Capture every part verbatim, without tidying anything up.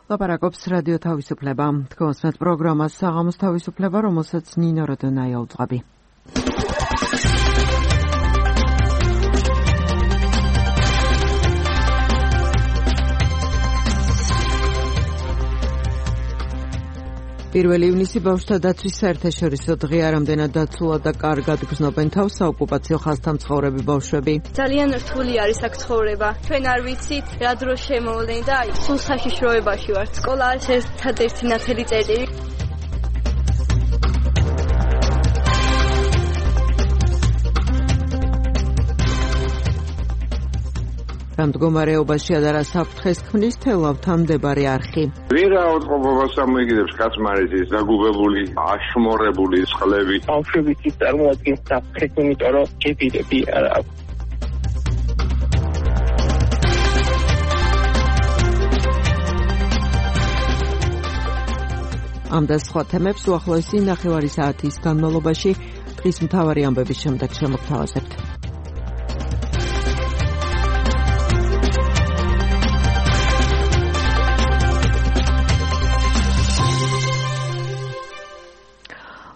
ლაპარაკობს რადიო თავისუფლება. თქვენს პროგრამას საღამოს თავისუფლება, რომელსაც ნინო როდონაია უძღვები. პირველი ივნისი ბავშვთა დაცვის საერთაშორისო დღეა, რამდენად დაცულად და კარგად გრძნობენ თავს საოკუპაციო ხაზთან მცხოვრები ბავშვები. ძალიან რთული არის აქ ცხოვრება. ჩვენ არ ვიცით რა დროს შემოვლენ და სულ საშიშროებაში ვართ. სკოლა არის ერთადერთი ნათელი წერტილი. რამ მდგომარეობაში ადარა საფრთხეს ქმნის თელავთან მდებარე არხი. ვერაუდყოფობას ამოიგებს კაცმარეთის დაგუბებული, აშმორებული წყლები. ბავშვები წარმოადგენს საფრთხეს, იმიტომ რომ ჯებირები არ აქვს. ამ და სხვა თემებს უახლოესი ნახევარი საათის განმავლობაში დღის მთავარი ამბების შემდეგ შემოგთავაზებთ.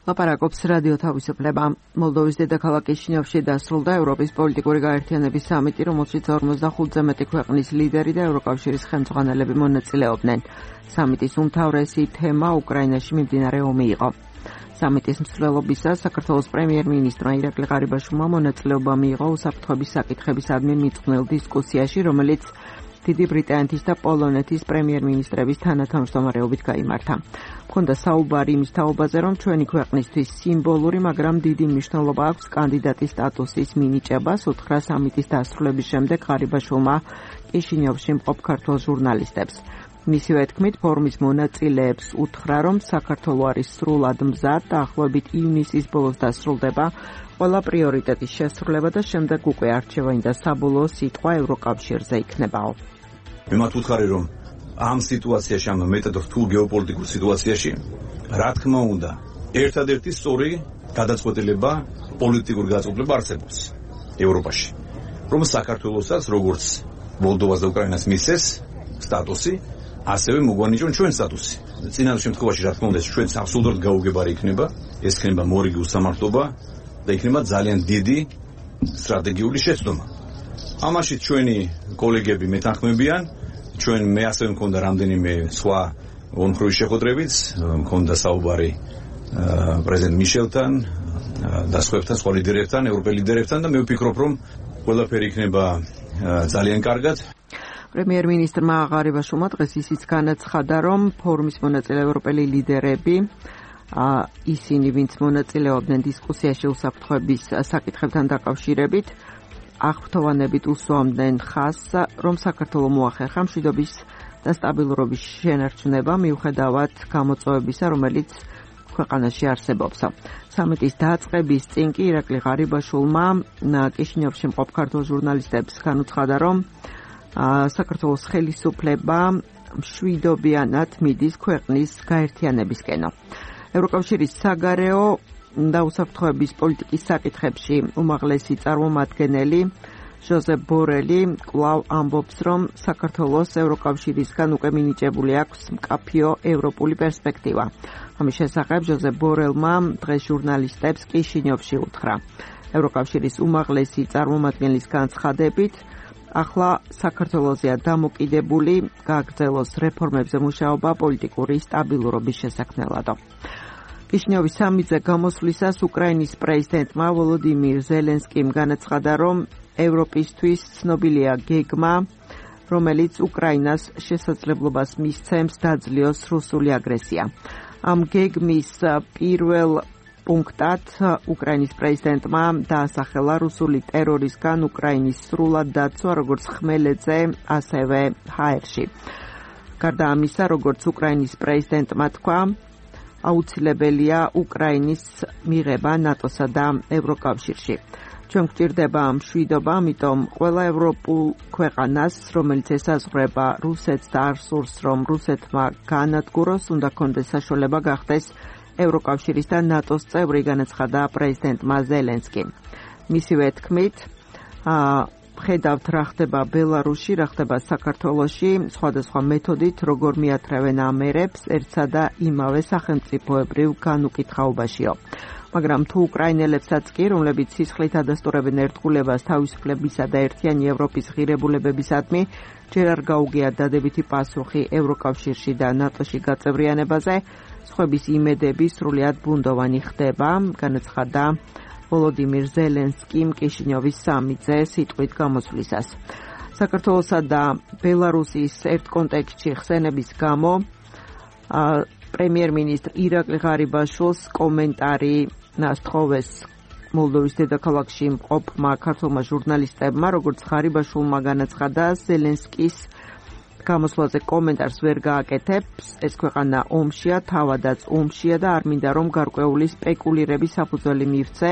ლაპარაკობს რადიო თავისუფლება. მოლდოვის დედაქალაქ კიშინიოვში დასრულდა ევროპის პოლიტიკური გაერთიანების სამიტი, რომელშიც ორმოცდახუთზე მეტი ქვეყნის ლიდერი და ევროკავშირის ხელმძღვანელები მონაწილეობდნენ. სამიტის უმთავრესი თემა უკრაინაში მიმდინარე ომი იყო. სამიტის მსვლელობისას საქართველოს პრემიერ-მინისტრმა ირაკლი ღარიბაშვილმა მონაწილეობა მიიღო უსაფრთხოების საკითხებისადმი მიწყვნილ დისკუსიაში, რომელიც დიდი ბრიტანეთის და პოლონეთის პრემიერ-მინისტრების თანათავმჯდომარეობით გაიმართა. მქონდა საუბარი იმის თაობაზე, რომ ჩვენი ქვეყნისთვის სიმბოლური, მაგრამ დიდი მნიშვნელობა აქვს კანდიდატის სტატუსის მინიჭებას, უთხრა სამიტის დასრულების შემდეგ ღარიბაშვილმა კიშინიოვში მყოფ ქართველ ჟურნალისტებს. მისივე თქმით, ფორუმის მონაწილეებს უთხრა, რომ საქართველო არის სრულად მზად, დაახლოებით ივნისის ბოლოს დასრულდება ყველა პრიორიტეტის შესრულება და შემდეგ უკვე არჩევანი და საბოლოო სიტყვა ევროკავშირზე იქნებაო. მე მათ ვუთხარი, რომ ამ სიტუაციაში, ამ მეტად რთულ გეოპოლიტიკურ სიტუაციაში, რა თქმა უნდა, ერთადერთი სწორი გადაწყვეტილება პოლიტიკური გადაწყვეტილება არსებობს ევროპაში, რომ საქართველოსაც როგორც მოლდოვას და უკრაინას მისცეს სტატუსი, ასევე მოგვანიჭონ ჩვენ სტატუსი. წინა შემთხვევაში, რა თქმა უნდა, ჩვენ აბსოლუტურად გაუგებარი იქნება, ეს იქნება მორიგი უსამართლობა და იქნება ძალიან დიდი სტრატეგიული შეცდომა. ამაში ჩვენი კოლეგები მეთანხმებიან. ჩვენ მე ასევე მქონდა რამდენიმე სხვა ორმხრივი შეხვედრებიც, მქონდა საუბარი პრეზიდენტ მიშელთან და სხვაებთან, სხვა ლიდერებთან, ევროპელ ლიდერებთან და მე ვფიქრობ, რომ ყველაფერი იქნება ძალიან კარგად. პრემიერ-მინისტრმა ღარიბაშვილმა დღეს ისიც განაცხადა, რომ ფორუმის მონაწილე ევროპელი ლიდერები, ისინი, ვინც მონაწილეობდნენ დისკუსიაში უსაფრთხოების საკითხებთან დაკავშირებით, აღფრთოვანებით უსვამდნენ ხაზს, რომ საქართველო მოახერხა მშვიდობის და სტაბილურობის შენარჩუნება მიუხედავად გამოწვევებისა, რომელიც ქვეყანაში არსებობს. სამიტის დაწყების წინ კი ირაკლი ღარიბაშვილმა კიშინიოვში მყოფ ქართველ ჟურნალისტებს განუცხადა, რომ საქართველოს ხელისუფლება მშვიდობიანად მიდის ქვეყნის გაერთიანებისკენო. ევროკავშირის საგარეო და უსაფრთხოების პოლიტიკის საკითხებში უმაღლესი წარმომადგენელი ჟოზეფ ბორელი კვლავ ამბობს, რომ საქართველოს ევროკავშირისგან უკვე მინიჭებული აქვს მკაფიო ევროპული პერსპექტივა. ამის შესახებ ჟოზეფ ბორელმა დღეს ჟურნალისტებს კიშინიოვში უთხრა. ევროკავშირის უმაღლესი წარმომადგენლის განცხადებით, ახლა საქართველოსია დამოკიდებული გააგრძელოს რეფორმებზე მუშაობა პოლიტიკური სტაბილურობის შესაქმნელადო. კიშინიოვის სამიტზე გამოსვლისას უკრაინის პრეზიდენტმა ვოლოდიმირ ზელენსკიმ განაცხადა, რომ ევროპისთვის ცნობილია გეგმა, რომელიც უკრაინას შესაძლებლობას მისცემს დაძლიოს რუსული აგრესია. ამ გეგმის პირველ პუნქტად უკრაინის პრეზიდენტმა დაასახელა რუსული ტერორისგან უკრაინის სრულად დაცვა, როგორც ხმელეთზე, ასევე ჰაერში. გარდა ამისა, როგორც უკრაინის პრეზიდენტმა თქვა, აუცილებელია უკრაინის მიღება ნატოსა და ევროკავშირში. ჩვენ გვჭირდება მშვიდობა, ამიტომ ყველა ევროპულ ქვეყანას, რომელიც ესაზღვრება რუსეთს და არ სურს, რომ რუსეთმა განადგუროს, უნდა კონდეს საშუალება გახდეს ევროკავშირის და ნატოს წევრი, განაცხადა პრეზიდენტმა ზელენსკიმ. მისივე თქმით, ხედავთ რა ხდება ბელარუსში, რა ხდება საქართველოში, სხვადასხვა მეთოდით როგორ მიათრევენ ამერებს ერთსა და იმავე სახელმწიფოებრივ განუკითხაობაშიო. მაგრამ თუ უკრაინელებსაც კი, რომლებიც სისხლით ადასტურებენ ერთგულებას თავისუფლებისა და ერთიანი ევროპის ღირებულებებისადმი, ჯერ არ გაუგეათ დადებითი პასუხი ევროკავშირში და ნატოში გაწევრიანებაზე, სხვების იმედები სრულიად ბუნდოვანი ხდება, განაცხადა ვოლოდიმირ ზელენსკიმ კიშინიოვის სამიძე სიტყვით გამოსვლისას. საქართველოსა და ბელარუსის ერთ კონტექსტში ხსენების გამო პრემიერ-მინისტრ ირაკლი ღარიბაშვილს კომენტარი ნასთხოვეს მოლდოვის დედაქალაქში მყოფმა ქართულმა ჟურნალისტებმა, როგორც ღარიბაშვილმა განაცხადა, ზელენსკის გამოსვლაზე კომენტარს ვერ გააკეთებს, ეს ქვეყანა ომშია, თავადაც ომშია და არ მინდა რომ გარკვეული სპეკულირების საფუძველი მივცე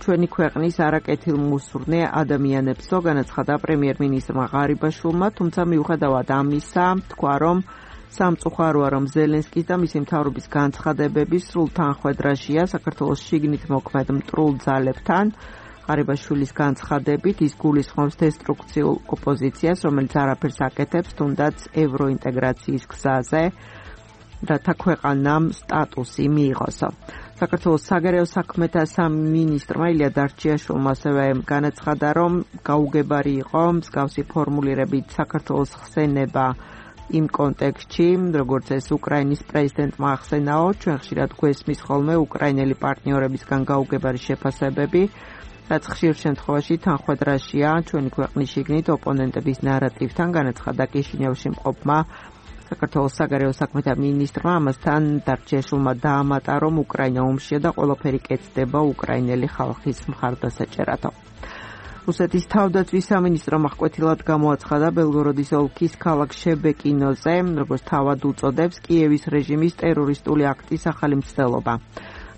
ჩვენი ქვეყნის არაკეთილმოსურნე ადამიანებსო, განაცხადა პრემიერ-მინისტრმა ღარიბაშვილმა, თუმცა მიუხედავად ამისა, თქვა რომ სამწუხაროა რომ ზელენსკის და მისი მთავრობის განცხადებები სრულ თანხვედრაშია საქართველოს შიგნით მოქმედ მტრულ ძალებთან. ღარიბაშვილის განცხადებით ის გულისხმობს დესტრუქციულ ოპოზიციას, რომელიც არაფერს აკეთებს, თუნდაც ევროინტეგრაციის გზაზე, რათა ქვეყანამ სტატუსი მიიღოსო. საქართველოს საგარეო საქმეთა სამინისტრმა ილია დარჩიაშვილმა ასევე განაცხადა, რომ გაუგებარი იყო მსგავსი ფორმულირებით საქართველოს ხსენება იმ კონტექსტში, როგორც ეს უკრაინის პრეზიდენტმა ახსენაო, ჩვენ ხშირად გვესმის ხოლმე უკრაინელი პარტნიორებისგან გაუგებარი შეფასებები, რაც ხშირ შემთხვევაში თანხვედრაშია ჩვენი ქვეყნის შიგნით ოპონენტების ნარატივთან, განაცხადა კიშინიოვში მყოფმა საქართველოს საგარეო საქმეთა მინისტრმა. ამასთან დარჩიაშვილმა დაამატა, რომ უკრაინა ომშია და ყველაფერი კეთდება უკრაინელი ხალხის მხარდასაჭერათო. რუსეთის თავდაცვის სამინისტრომ აღკვეთილად გამოაცხადა ბელგოროდის ოლქის ქალაქ შებეკინოზე, როგორც თავად უწოდებს, კიევის რეჟიმის ტერორისტული აქტის ახალი მცდელობა.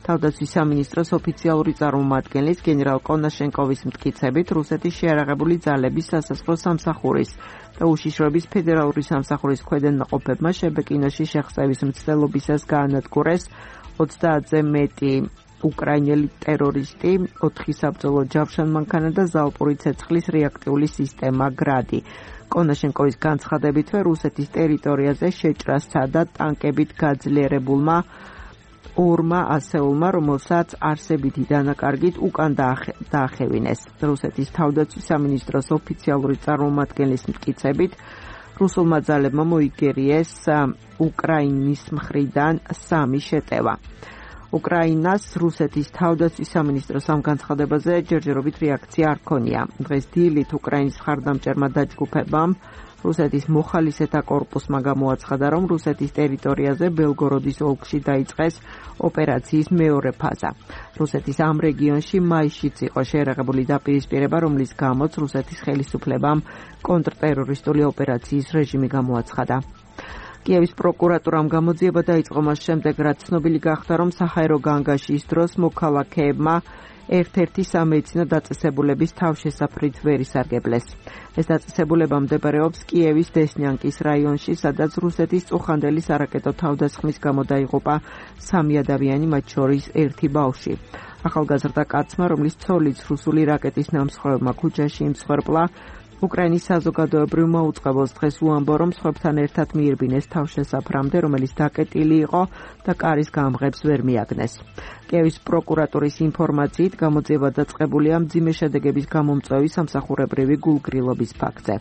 თავდაცვის სამინისტროს ოფიციალური წარმომადგენლის გენერალ კონაშენკოვის მტკიცებით, რუსეთის შეიარაღებული ძალების სასაზღვრო სამსახურის და უშიშროების ფედერალური სამსახურის ქვედანაყოფებმა შებეკინოში შეხსევის მცდელობისას გაანადგურეს ოცდაათზე მეტი უკრაინელი ტერორისტი, ოთხი საბრძოლო ჯავშანმანქანა და ზალპური ცეცხლის რეაქტიული სისტემა გრადი. კონაშენკოვის განცხადებითვე რუსეთის ტერიტორიაზე შეჭრა სცადა ტანკებით გაძლიერებულმა ორმა ასეულმა, რომელსაც არსებითი დანაკარგით უკან დაახევინეს. რუსეთის თავდაცვის სამინისტროს ოფიციალური წარმომადგენლის მტკიცებით, რუსულმა ძალებმა მოიგერიეს უკრაინის მხრიდან სამი შეტევა. უკრაინას რუსეთის თავდაცვის სამინისტროს ამ განცხადებაზე ჯერჯერობით რეაქცია არ ქონია. დღეს დილით უკრაინის მხარდამჭერმა დაჯგუფებამ რუსეთის მოხალისეთა კორპუსმა გამოაცხადა, რომ რუსეთის ტერიტორიაზე ბელგოროდის ოლქში დაიწყეს ოპერაციის მეორე ფაზა. რუსეთის ამ რეგიონში მაისშიც იყო შეიარაღებული დაპირისპირება, რომლის გამოც რუსეთის ხელისუფლებამ კონტრტერორისტული ოპერაციის რეჟიმი გამოაცხადა. კიევის პროკურატურამ გამოძიება დაიწყო მას შემდეგ, რაც ცნობილი გახდა, რომ საჰაერო განგაშის დროს მოქალაქეებმა ერთ-ერთი სამედიცინო დაწესებულების თავშესაფრით ვერ ისარგებლეს. ეს დაწესებულება მდებარეობს კიევის დესნიანკის რაიონში, სადაც რუსეთის წუხანდელი სარაკეტო თავდასხმის გამო დაიღუპა სამი ადამიანი, მათ შორის ერთი ბავშვი. ახალგაზრდა კაცმა, რომლის ცოლიც რუსული რაკეტის ნამსხვრევმა ქუჩაში იმსხვერპლა, უკრაინის საზოგადოებრივმა უწყებელს დღეს უამბო, რომ სხვებთან ერთად მიირბინეს თავშესაფრამდე, რომელიც დაკეტილი იყო და კარის გამღებს ვერ მიაგნეს. კიევის პროკურატურის ინფორმაციით გამოძიება დაწყებულია მძიმე შედეგების გამომწვევი სამსახურებრივი გულგრილობის ფაქტზე.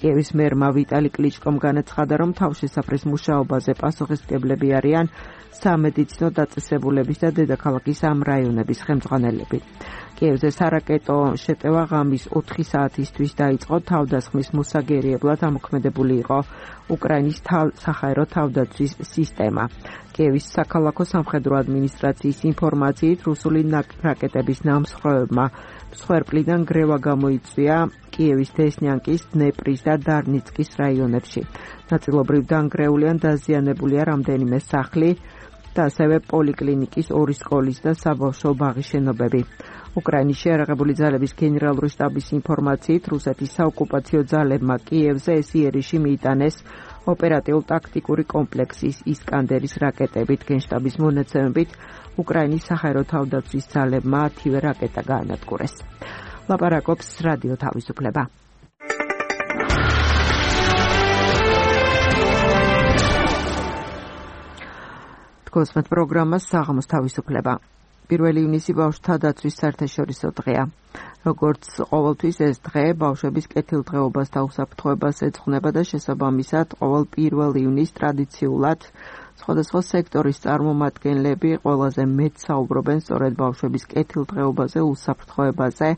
კიევის მერმა ვიტალი კლიჩკომ განაცხადა, რომ თავშესაფრის მუშაობაზე პასუხისმგებლები არიან სამედიცინო დაწესებულების და დედაქალაქის ამ რაიონების ხელმძღვანელები. კიევზე სარაკეტო შეტევა ღამის ოთხი საათისთვის დაიწყო, თავდასხმის მოსაგერიებლად ამოქმედებული იყო უკრაინის საჰაერო თავდაცვის სისტემა. კიევის საქალაქო სამხედრო ადმინისტრაციის ინფორმაციით, რუსული რაკეტების ნამსხვრევებმა მსხვერპლიდან გრევა გამოიწვია კიევის დესნიანკის, დნეპრის და დარნიცკის რაიონებში. ნაწილობრივ დანგრეული ან დაზიანებულია რამდენიმე სახლი და ასევე პოლიკლინიკის, ორი სკოლის და საბავშვო ბაღის შენობები. უკრაინის შეიარაღებული ძალების გენერალური შტაბის ინფორმაციით, რუსეთის საოკუპაციო ძალებმა კიევზე ეს იერიში მიიტანეს ოპერატიულ-ტაქტიკური კომპლექსის ისკანდერის რაკეტებით. გენშტაბის მონაცემებით, უკრაინის საჰაერო თავდაცვის ძალებმა ათივე რაკეტა გაანადგურეს. ლაპარაკობს რადიო თავისუფლება. გოსმეთ პროგრამას საღამოს თავისუფლება. პირველი ივნისი ბავშვთა დაცვის საერთაშორისო დღეა. როგორც ყოველთვის ეს დღე ბავშვების კეთილდღეობას და უსაფრთხოებას ეძღვნება და შესაბამისად ყოველ პირველ ივნისს ტრადიციულად სხვადასხვა სექტორის წარმომადგენლები ყველაზე მეტ საუბრობენ სწორედ ბავშვების კეთილდღეობაზე, უსაფრთხოებაზე,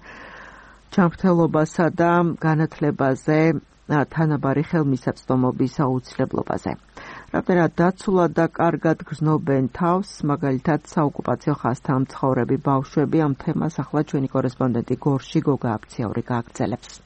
ჯანმრთელობასა და განათლებაზე, თანაბარი ხელმისაწვდომობის აუცილებლობაზე. რამდენად დაცულად და კარგად გრძნობენ თავს, მაგალითად საოკუპაციო ხაზთან მცხოვრები ბავშვები, ამ თემას ახლა ჩვენი კორესპონდენტი გორში გოგა აფციაური გააგრძელებს.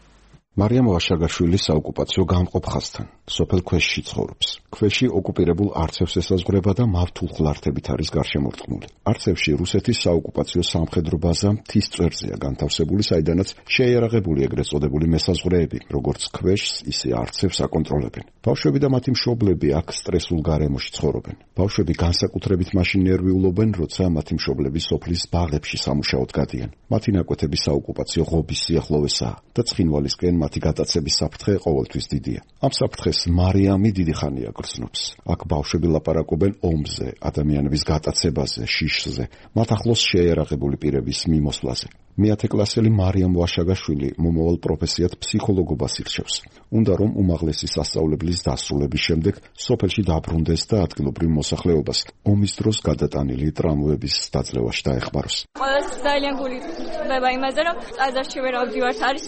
მარიამ ვაშაგაშვილი საოკუპაციო გამყოფ ხაზთან, სოფელ ქვეშში ცხოვრობს. ქვეში ოკუპირებულ არცევს ესაზღვრება და მავთულ ხლართებით არის გარშემორტყმული. არცევში რუსეთის საოკუპაციო სამხედრო ბაზა მთის წვერზეა განთავსებული, საიდანაც შეიარაღებული ეგრეთ წოდებული მესაზღვრეები, როგორც ქვეშს, ისე არცევს აკონტროლებენ. ბავშვები და მათი მშობლები აქ სტრესულ გარემოში ცხოვრობენ. ბავშვები განსაკუთრებით მაშინ ნერვიულობენ, როცა მათი მშობლები სოფლის ბაღებში სამუშაოდ გადიან. მათი ნაკვეთები საოკუპაციო ღობის სიახლოვესაა და ცხინვალისკენ მათი გატაცების საფრთხე ყოველთვის დიდია. ამ საფრთხეს მარიამი დიდი ხანია გრძნობს. აქ ბავშვები ლაპარაკობენ ომზე, ადამიანების გატაცებაზე, შიშზე, მათ ახლოს შეიარაღებული პირების მიმოსვლაზე. მეათე კლასელი მარიამ ვაშაგაშვილი მომავალ პროფესიად ფსიქოლოგობას ირჩევს. უნდა რომ უმაღლესი სასწავლებლის დასრულების შემდეგ სოფელში დაბრუნდეს და ადგილობრივ მოსახლეობას ომის დროს გადატანილი ტრამვების დაძლევაში დაეხმაროს. ყველას ძალიან გული ხდება იმაზე, რომ ტაძარში ვერ ავდივართ, არის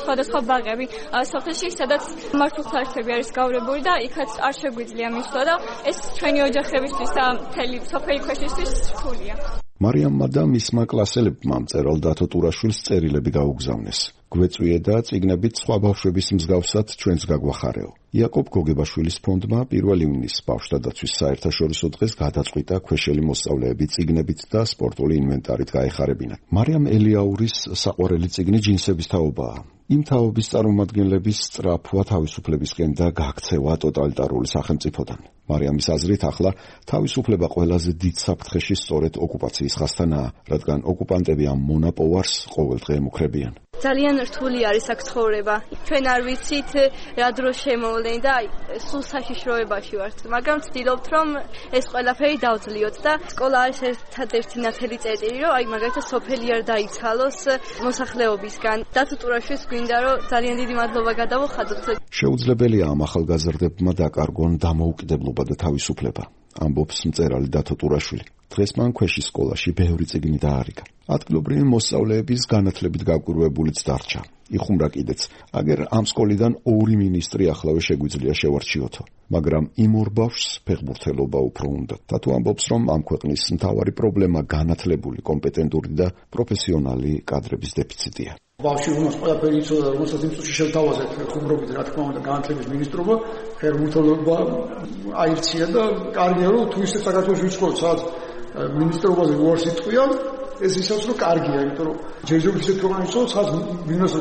სხვადასხვა ბაღები სოფელში, სადაც მართლმსაჯულები არის გავრებული და იქაც არ შეგვიძლია მისვლა და ეს ჩვენი ოჯახებისთვის და მთელი სოფელი ქვეშისთვის რთულია. მარიამმა და მისმა კლასელებმა მწერალ დათო ტურაშვილს წერილები გაუგზავნეს. გვეწვიე და წიგნებით სხვა ბავშვების მსგავსად ჩვენს გაგვახარეო. იაკობ გოგებაშვილის ფონდმა პირველი ივნისს ბავშვთა დაცვის საერთაშორისო დღეს გადაწყვიტა ქვეშელი მოსწავლეები წიგნებით და სპორტული ინვენტარით გაეხარებინათ. მარიამ ელიაურის საყვარელი წიგნი ჯინსების თაობაა. იმ თაობის წარმომადგენლების სწრაფვა თავისუფლებისკენ და გაქცევა ტოტალიტარული სახელმწიფოდან. მარიამის აზრით ახლა თავისუფლება ყველაზე დიდ საფრთხეში სწორედ ოკუპაციის ხაზთანაა, რადგან ოკუპანტები ამ მონაპოვარს ყოველდღე ემუქრებიან. ძალიან რთული არის აქ ცხოვრება. ჩვენ არ ვიცით რა დროს შემოვლენ და სულ საშიშროებაში ვართ, მაგრამ ვცდილობთ რომ ეს ყველაფერი დავძლიოთ და სკოლა არის ერთადერთი ნათელი წერტილი, რომ აი მაგალითად სოფელი არ დაიცალოს მოსახლეობისგან. დათო ტურაშვილს გვინდა რომ ძალიან დიდი მადლობა გადავუხადოთ. შეუძლებელია ამ ახალგაზრდებმა დაკარგონ დამოუკიდებლობა და თავისუფლება, ამბობს მწერალი დათო ტურაშვილი. დღეს მან ქვეშის სკოლაში ბევრი წიგნი დაარიგა. ადგილობრივი მოსწავლეების განათლებით გაკვირვებულიც დარჩა. იხუმრა კიდეც, აგერ ამ სკოლიდან ორი მინისტრი ახლავე შეგვიძლია შევარჩიოთო, მაგრამ იმ ორ ბავშვს ფეხბურთელობა უფრო უნდა. დათო ამბობს, რომ ამ ქვეყნის მთავარი პრობლემა განათლებული, კომპეტენტური და პროფესიონალი კადრების დეფიციტია. ბავშვი უნდა ყველაფერი იცოდა, რომელსაც იმ წუთში შევთავაზეთ ხუმრობით, რა თქმა უნდა, განათლების მინისტრობა, ფეხბურთელობა აირჩია და კარგია რომ თუ ისე საქართველოს ვიცხოვთ, სადაც მინისტრობაზე უარს იტყვიან, ეს ისევ რომ კარგია, იმიტომ რომ ჯერჯერობით ისეთ ქვეყანაში ვცხოვრობ, სადაც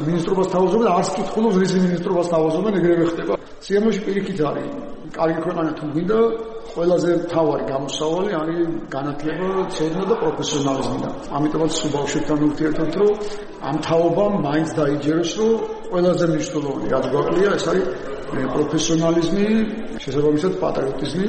მინისტრობას თავაზობენ, არც კითხულობს რის მინისტრობას თავაზობენ, ეგრევე ხდება. სიამოვნებაში პირიქით არის. კარგი ქვეყანა თუ გვინდა, ყველაზე მთავარი გამოსავალი არის განათლება, ცოდნა და პროფესიონალიზმი. ამიტომაც ბავშვებთან ურთიერთობთ, რომ ამ თაობამ მაინც დაიჯეროს, რომ ყველაზე მნიშვნელოვანი რაც გვაკლია, ეს არის პროფესიონალიზმი, შესაბამისად პატრიოტიზმი,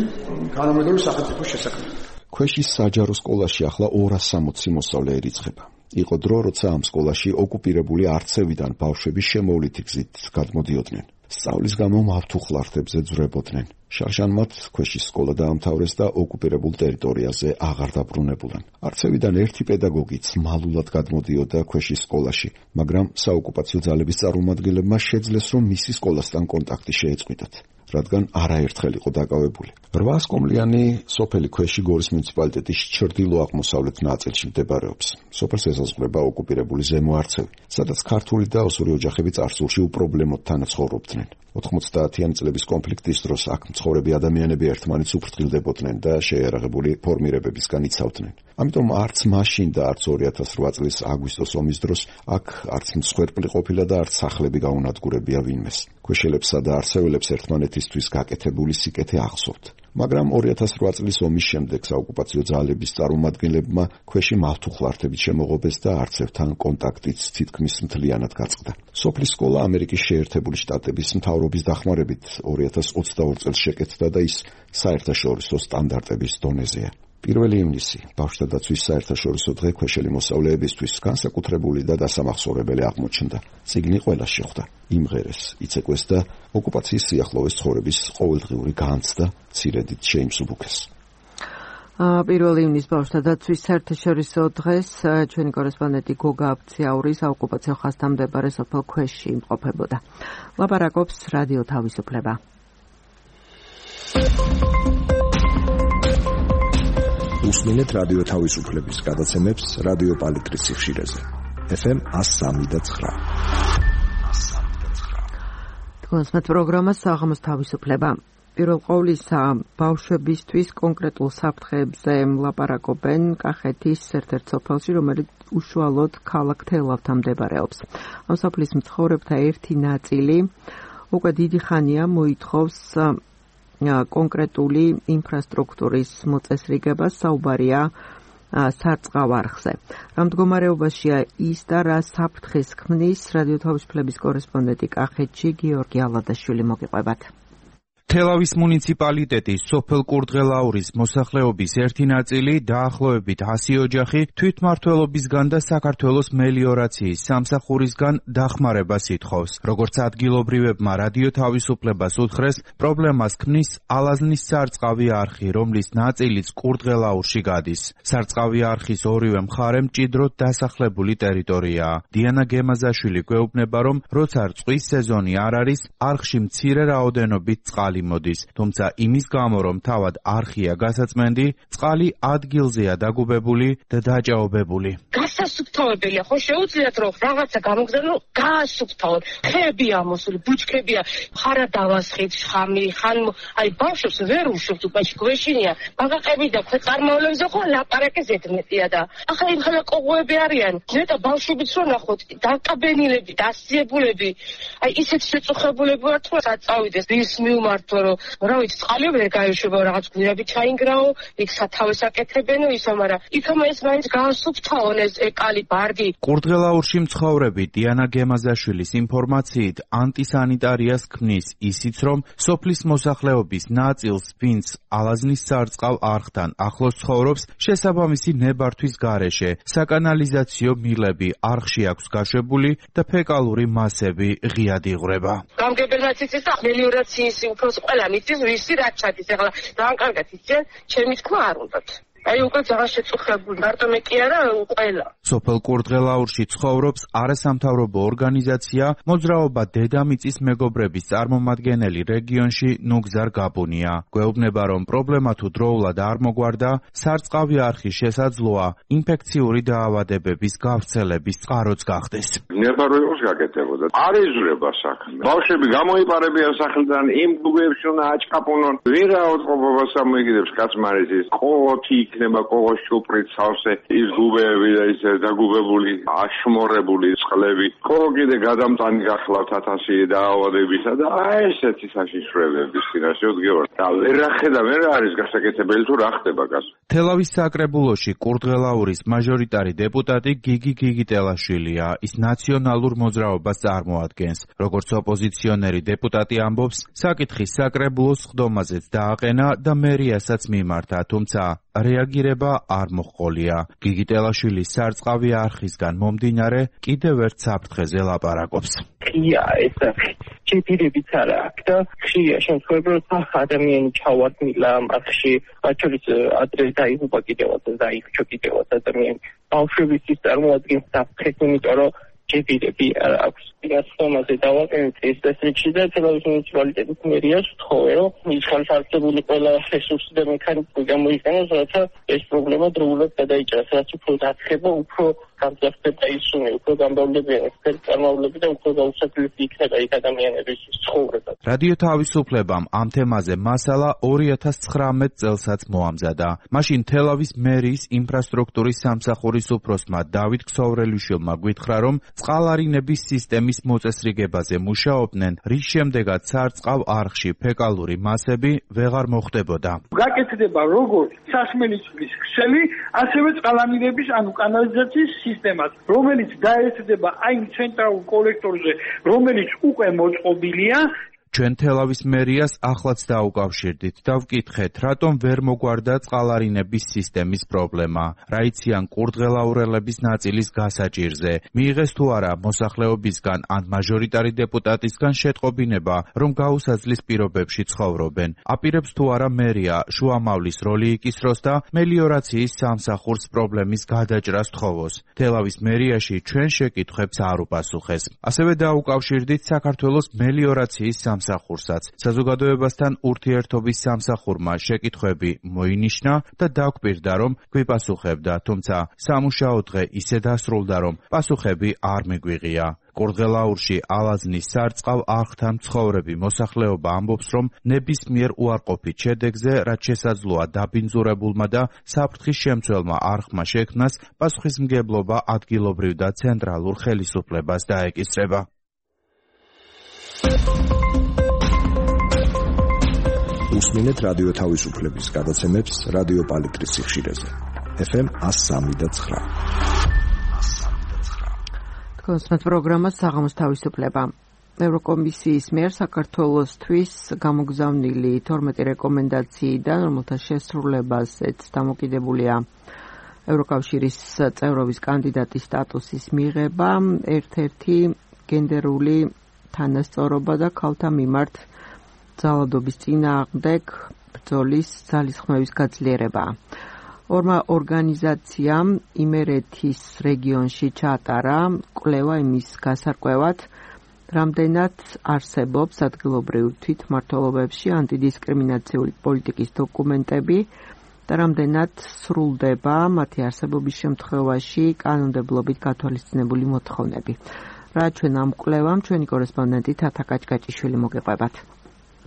თანამედროვე სახელმწიფოს შესაქმნელი. ქვეშის საჯარო სკოლაში ახლა ორას სამოცი მოსწავლე ერიცხება. იყო დრო, როცა ამ სკოლაში ოკუპირებული არცევიდან ბავშვები შემოვლითი გზით გადმოდიოდნენ. სწავლის გამო მავთულ ხლართებზე ძვრებოდნენ. შარშანმათ ქვეშის სკოლა დაამთავრეს და ოკუპირებულ ტერიტორიაზე აღარ დაბრუნებულან. არცევიდან ერთი პედაგოგიც მალულად გადმოდიოდა ქვეშის სკოლაში, მაგრამ საოკუპაციო ძალების წარმომადგენლებმა შეძლეს, რომ მისი სკოლასთან კონტაქტი შეეწყვიტათ, რადგან არაერთხელ იყო დაკავებული. რვას კომლიანი სოფელი ქვეში გორის მუნიციპალიტეტის ჩრდილო-აღმოსავლეთ ნაწილში მდებარეობს. სოფელს ესაზღვრება ოკუპირებული ზემო არცევი, სადაც ქართული და ოსური ოჯახები წარსულში უპრობლემოდ თანაცხოვრობდნენ. ოთხმოცდაათიანი წლების კონფლიქტის დროს აქ მცხოვრები ადამიანები ერთმანეთს უფრთხილდებოდნენ და შეიარაღებული ფორმირებებისგან იცავდნენ. ამიტომ არც მაშინ და არც ორი ათას რვა წლის აგვისტოს ომის დროს აქ არც მსხვერპლი ყოფილა და არც სახლები გაუნადგურებია ვინმეს. ქვეშელებსა და არცეველებს ერთმანეთისთვის გაკეთებული სიკეთე ახსოვთ. მაგრამ ორი ათას რვა წლის ომის შემდეგ საოკუპაციო ძალების წარმომადგენლებმა ქვეში მავთუხლართებით შემოღობეს და არცევთან კონტაქტიც თითქმის მთლიანად გაწყდა. სოფლის სკოლა ამერიკის შეერთებული შტატების მთავრობის დახმარებით ორი ათას ოცდაორი წელს შეკეთდა და ის საერთაშორისო სტანდარტების დონეზეა. პირველი ივნისი ბავშვთა დაცვის საერთაშორისო დღე ქვეშელი მოსწავლეებისთვის განსაკუთრებული და დასამახსოვრებელი აღმოჩნდა. წიგნი ყველას შეხვდა, იმღერეს, იცეკვეს და ოკუპაციის სიახლოვეს ცხოვრების ყოველდღიური განცდა ცირედით შეიმსუბუქეს. პირველი ივნისის ბავშვთა დაცვის საერთაშორისო დღეს ჩვენი კორესპონდენტი გოგა აბციაური საოკუპაციო ხაზთან მდებარე სოფელ ქვეშში იმყოფებოდა. ლაპარაკობს რადიო თავისუფლება. უსმინეთ რადიო თავისუფლების გადაცემებს რადიო პალიტრის სიხშირეზე. ეფ ემ one oh three point nine. თქვენსმეთ პროგრამას საღამოს თავისუფლება. პირველ ყოვლისა ბავშვებისთვის კონკრეტულ საფრთხეებზე ლაპარაკობენ კახეთის ერთ-ერთ სოფელში, რომელიც უშუალოდ ქალაქ თელავთან მდებარეობს. ამ სოფლის მცხოვრებთა ერთი ნაწილი უკვე დიდი ხანია მოითხოვს კონკრეტული ინფრასტრუქტურის მოწესრიგებას, საუბარია სარწყავ არხზე. რა მდგომარეობაშია ის და რა საფრთხეს ქმნის, რადიო თავისუფლების კორესპონდენტი კახეთში გიორგი ალადაშვილი მოგიყვებათ. თელავის მუნიციპალიტეტის სოფელ კურდღელაურის მოსახლეობის ერთი ნაწილი დაახლოებით ასი ოჯახი თვითმმართველობისგან და საქართველოს მელიორაციის სამსახურისგან დახმარებას ითხოვს. როგორც ადგილობრივებმა რადიო თავისუფლებას უთხრეს, პრობლემას ქმნის ალაზნის სარწყავი არხი, რომლის ნაწილიც კურდღელაურში გადის. სარწყავი არხის ორივე მხარე მჭიდროდ დასახლებული ტერიტორიაა. დიანა გემაზაშვილი გვეუბნება, რომ როცა რწყვის სეზონი არ არის, არხში მცირე რაოდენობით წყალი მოდის, თუმცა იმის გამო, რომ თავად არხია გასაწმენდი, წყალი ადგილზეა დაგუბებული და დაჭაობებული. გასასუფთავებელია, ხო შეუძლიათ რომ რაღაცა გამოგზავნო, გაასუფთავონ. ხეები ამოსული, ბუჩქებია, ხარა დავასხით, ხამი, ხან აი ბავშვებს ვერ უშვებთ, უკაში გვეშინია. ბაღაყები და ქვეწარმავლებზე ხო ლაპარაკი ზედმეტია და ახლა იმ ხალხ ყოღოები არიან. ნეტა ბავშვებიც რო ნახოთ, დაკაბენილები, დასიებულები, აი ისეთ შეწუხებულები ვართ, რომ საწავიდეს ის მიუმართო რომ რა ვიცი წყალი ვერ გაიშვება რაღაც გვირაბი ჩაინგრაო იქ სათავეს აკეთებენო ისა მაგრამ იქამ ეს მაინც გაასუფთავონ ეს ეკალი ბარდი. კურდღელაურში მცხოვრები დიანა გემაზაშვილის ინფორმაციით ანტისანიტარიას ქმნის ისიც რომ სოფლის მოსახლეობის ნაწილს ვინც ალაზნის სარწყავ არხთან ახლოს ცხოვრობს შესაბამისი ნებართვის გარეშე საკანალიზაციო მილები არხში აქვს გაშვებული და ფეკალური მასები ღიად იღვრება. გამგებელმაც იცის და მელიორაციის უფროს ყველა მიწის ვისი რაც ჩადის ახლა ძალიან კარგად იციან ჩემი თქმა არ უნდათ. აი უკვე ძალიან შეწუხებული მარტო მე კი არა ყველა. სოფელ კურდღელაურში ცხოვრობს არასამთავრობო ორგანიზაცია მოძრაობა დედამიწის მეგობრების წარმომადგენელი რეგიონში ნუგზარ გაბუნია. გვეუბნება რომ პრობლემა თუ დროულად არ მოგვარდა, სარწყავი არხის შესაძლოა ინფექციური დაავადებების გავრცელების წყაროც გახდეს. ნებაროებს გაკეთებოდა. არ იზრდება საქმე. ბავშვები გამოიპარებიან სახლიდან, იმ გუბებში უნდა აჭკაპუნონ. ვინ რაოდყოფობას ამოიგებს კაცმარეთის ყოთი იქნება ყოღოს შუპრით სავსე ის გუბეები და ის დაგუბებული აშმორებული წყლები ყოღო კიდე გადამტანი გახლავთ ათასი დაავადებისა და აი ესეთი საშიშროებების წინაშე ვდგევარ და ვერ ახედა ვერ არის გასაკეთებელი თუ რა ხდება გას. თელავის საკრებულოში კურდღელაურის მაჟორიტარი დეპუტატი გიგი გიგიტელაშვილია. ის ნაციონალურ მოძრაობას წარმოადგენს. როგორც ოპოზიციონერი დეპუტატი ამბობს, საკითხი საკრებულოს ხდომაზეც დააყენა და მერიასაც მიმართა, თუმცა რეაგირება არ მოჰყოლია. გიგიტელაშვილის სარწყავი არხისგან მომდინარე კიდევ ერთ საფრთხეზე ლაპარაკობს. ხია ეს ჩეპირებიც არა აქვს და ხია შემთხვევებად ადამიანი ჩავარდნილა არხში, მათ შორის ადრე დაიღუპა კიდევაც და დაიხვჩა კიდევაც ადამიანი. ბავშვებისთვის წარმოადგენს საფრთხეს, იმიტომ რომ ჩეპირები არ აქვს. გასწომაზე დავაყენეთ ეს დასრიგში და თელავის მუნიციპალიტეტის მერიას ვთხოვე, რომ ის ხალხარწებული ყველა რესურსი და მექანიზმი გამოიყენოს, რათა ეს პრობლემა დროულად გადაიჭრას, რაც უფრო დახება, უფრო გამძაფრდება ისუნი, უფრო გამბავლებიან ეს წარმავლები და უფრო გაუსაძლისი იქნება იქ ადამიანების ცხოვრება. რადიო თავისუფლებამ ამ თემაზე მასალა ორი ათას ცხრამეტ წელსაც მოამზადა. მაშინ თელავის მერიის ინფრასტრუქტურის სამსახურის უფროსმა დავით ქსოვრელიშვილმა გვითხრა, რომ წყალარინების სისტემის მოწესრიგებაზე მუშაობდნენ, რის შემდეგაც სარწყავ არხში ფეკალური მასები ვეღარ მოხდებოდა. გაკეთდება როგორც სასმელი წყლის ქსელი, ასევე წყალანირების ანუ კანალიზაციის სისტემას, რომელიც დაესწრება აი ცენტრალურ კოლექტორზე, რომელიც უკვე მოწყობილია. ჩვენ თელავის მერიას ახლაც დაუკავშირდით და ვკითხეთ, რატომ ვერ მოგვარდა წყალარინების სისტემის პრობლემა, რა იციან კურდღელაურელების ნაწილის გასაჭირზე, მიიღეს თუ არა მოსახლეობისგან ან მაჟორიტარი დეპუტატისგან შეტყობინება, რომ გაუსაძლის პირობებში ცხოვრობენ. აპირებს თუ არა მერია შუამავლის როლი იკისროს და მელიორაციის სამსახურს პრობლემის გადაჭრას თხოვოს. თელავის მერიაში ჩვენ შეკითხვებს არ უპასუხეს. ასევე დაუკავშირდით საქართველოს მელიორაციის სამსახურსაც. საზოგადოებასთან ურთიერთობის სამსახურმა შეკითხვები მოინიშნა და დაგვპირდა, რომ გვიპასუხებდა, თუმცა სამუშაო დღე ისე დასრულდა, რომ პასუხები არ მიგვიღია. კურდღელაურში ალაზნის სარწყავ არხთან მცხოვრები მოსახლეობა ამბობს, რომ ნებისმიერ უარყოფით შედეგზე, რაც შესაძლოა დაბინძურებულმა და საფრთხის შემცველმა არხმა შექმნას, პასუხისმგებლობა ადგილობრივ და ცენტრალურ ხელისუფლებას დაეკისრება. უსმინეთ რადიო თავისუფლების გადაცემებს რადიო პალიტრის სიხშირეზე. ეფ ემ one oh three და nine. კონსტანტ პროგრამა საღამოს თავისუფლება. ევროკომისიის მიერ საქართველოსთვის გამოგზავნილი თორმეტი რეკომენდაციიდან, რომელთა შესრულებაზეც დამოკიდებულია ევროკავშირის წევრობის კანდიდატის სტატუსის მიღება, ერთ-ერთი გენდერული თანასწორობა და ქალთა მიმართ ძალადობის წინააღმდეგ ბრძოლის ძალისხმევის გაძლიერება. ორმა ორგანიზაციამ იმერეთის რეგიონში ჩაატარა კვლევა იმის გასარკვევად, რამდენად არსებობს ადგილობრივ თვითმმართველობებში ანტიდისკრიმინაციული პოლიტიკის დოკუმენტები და რამდენად სრულდება მათი არსებობის შემთხვევაში კანონმდებლობით გათვალისწინებული მოთხოვნები. რა ჩვენ ამ კვლევამ ჩვენი კორესპონდენტი თათა კაჭკაჭიშვილი მოგეყვებათ.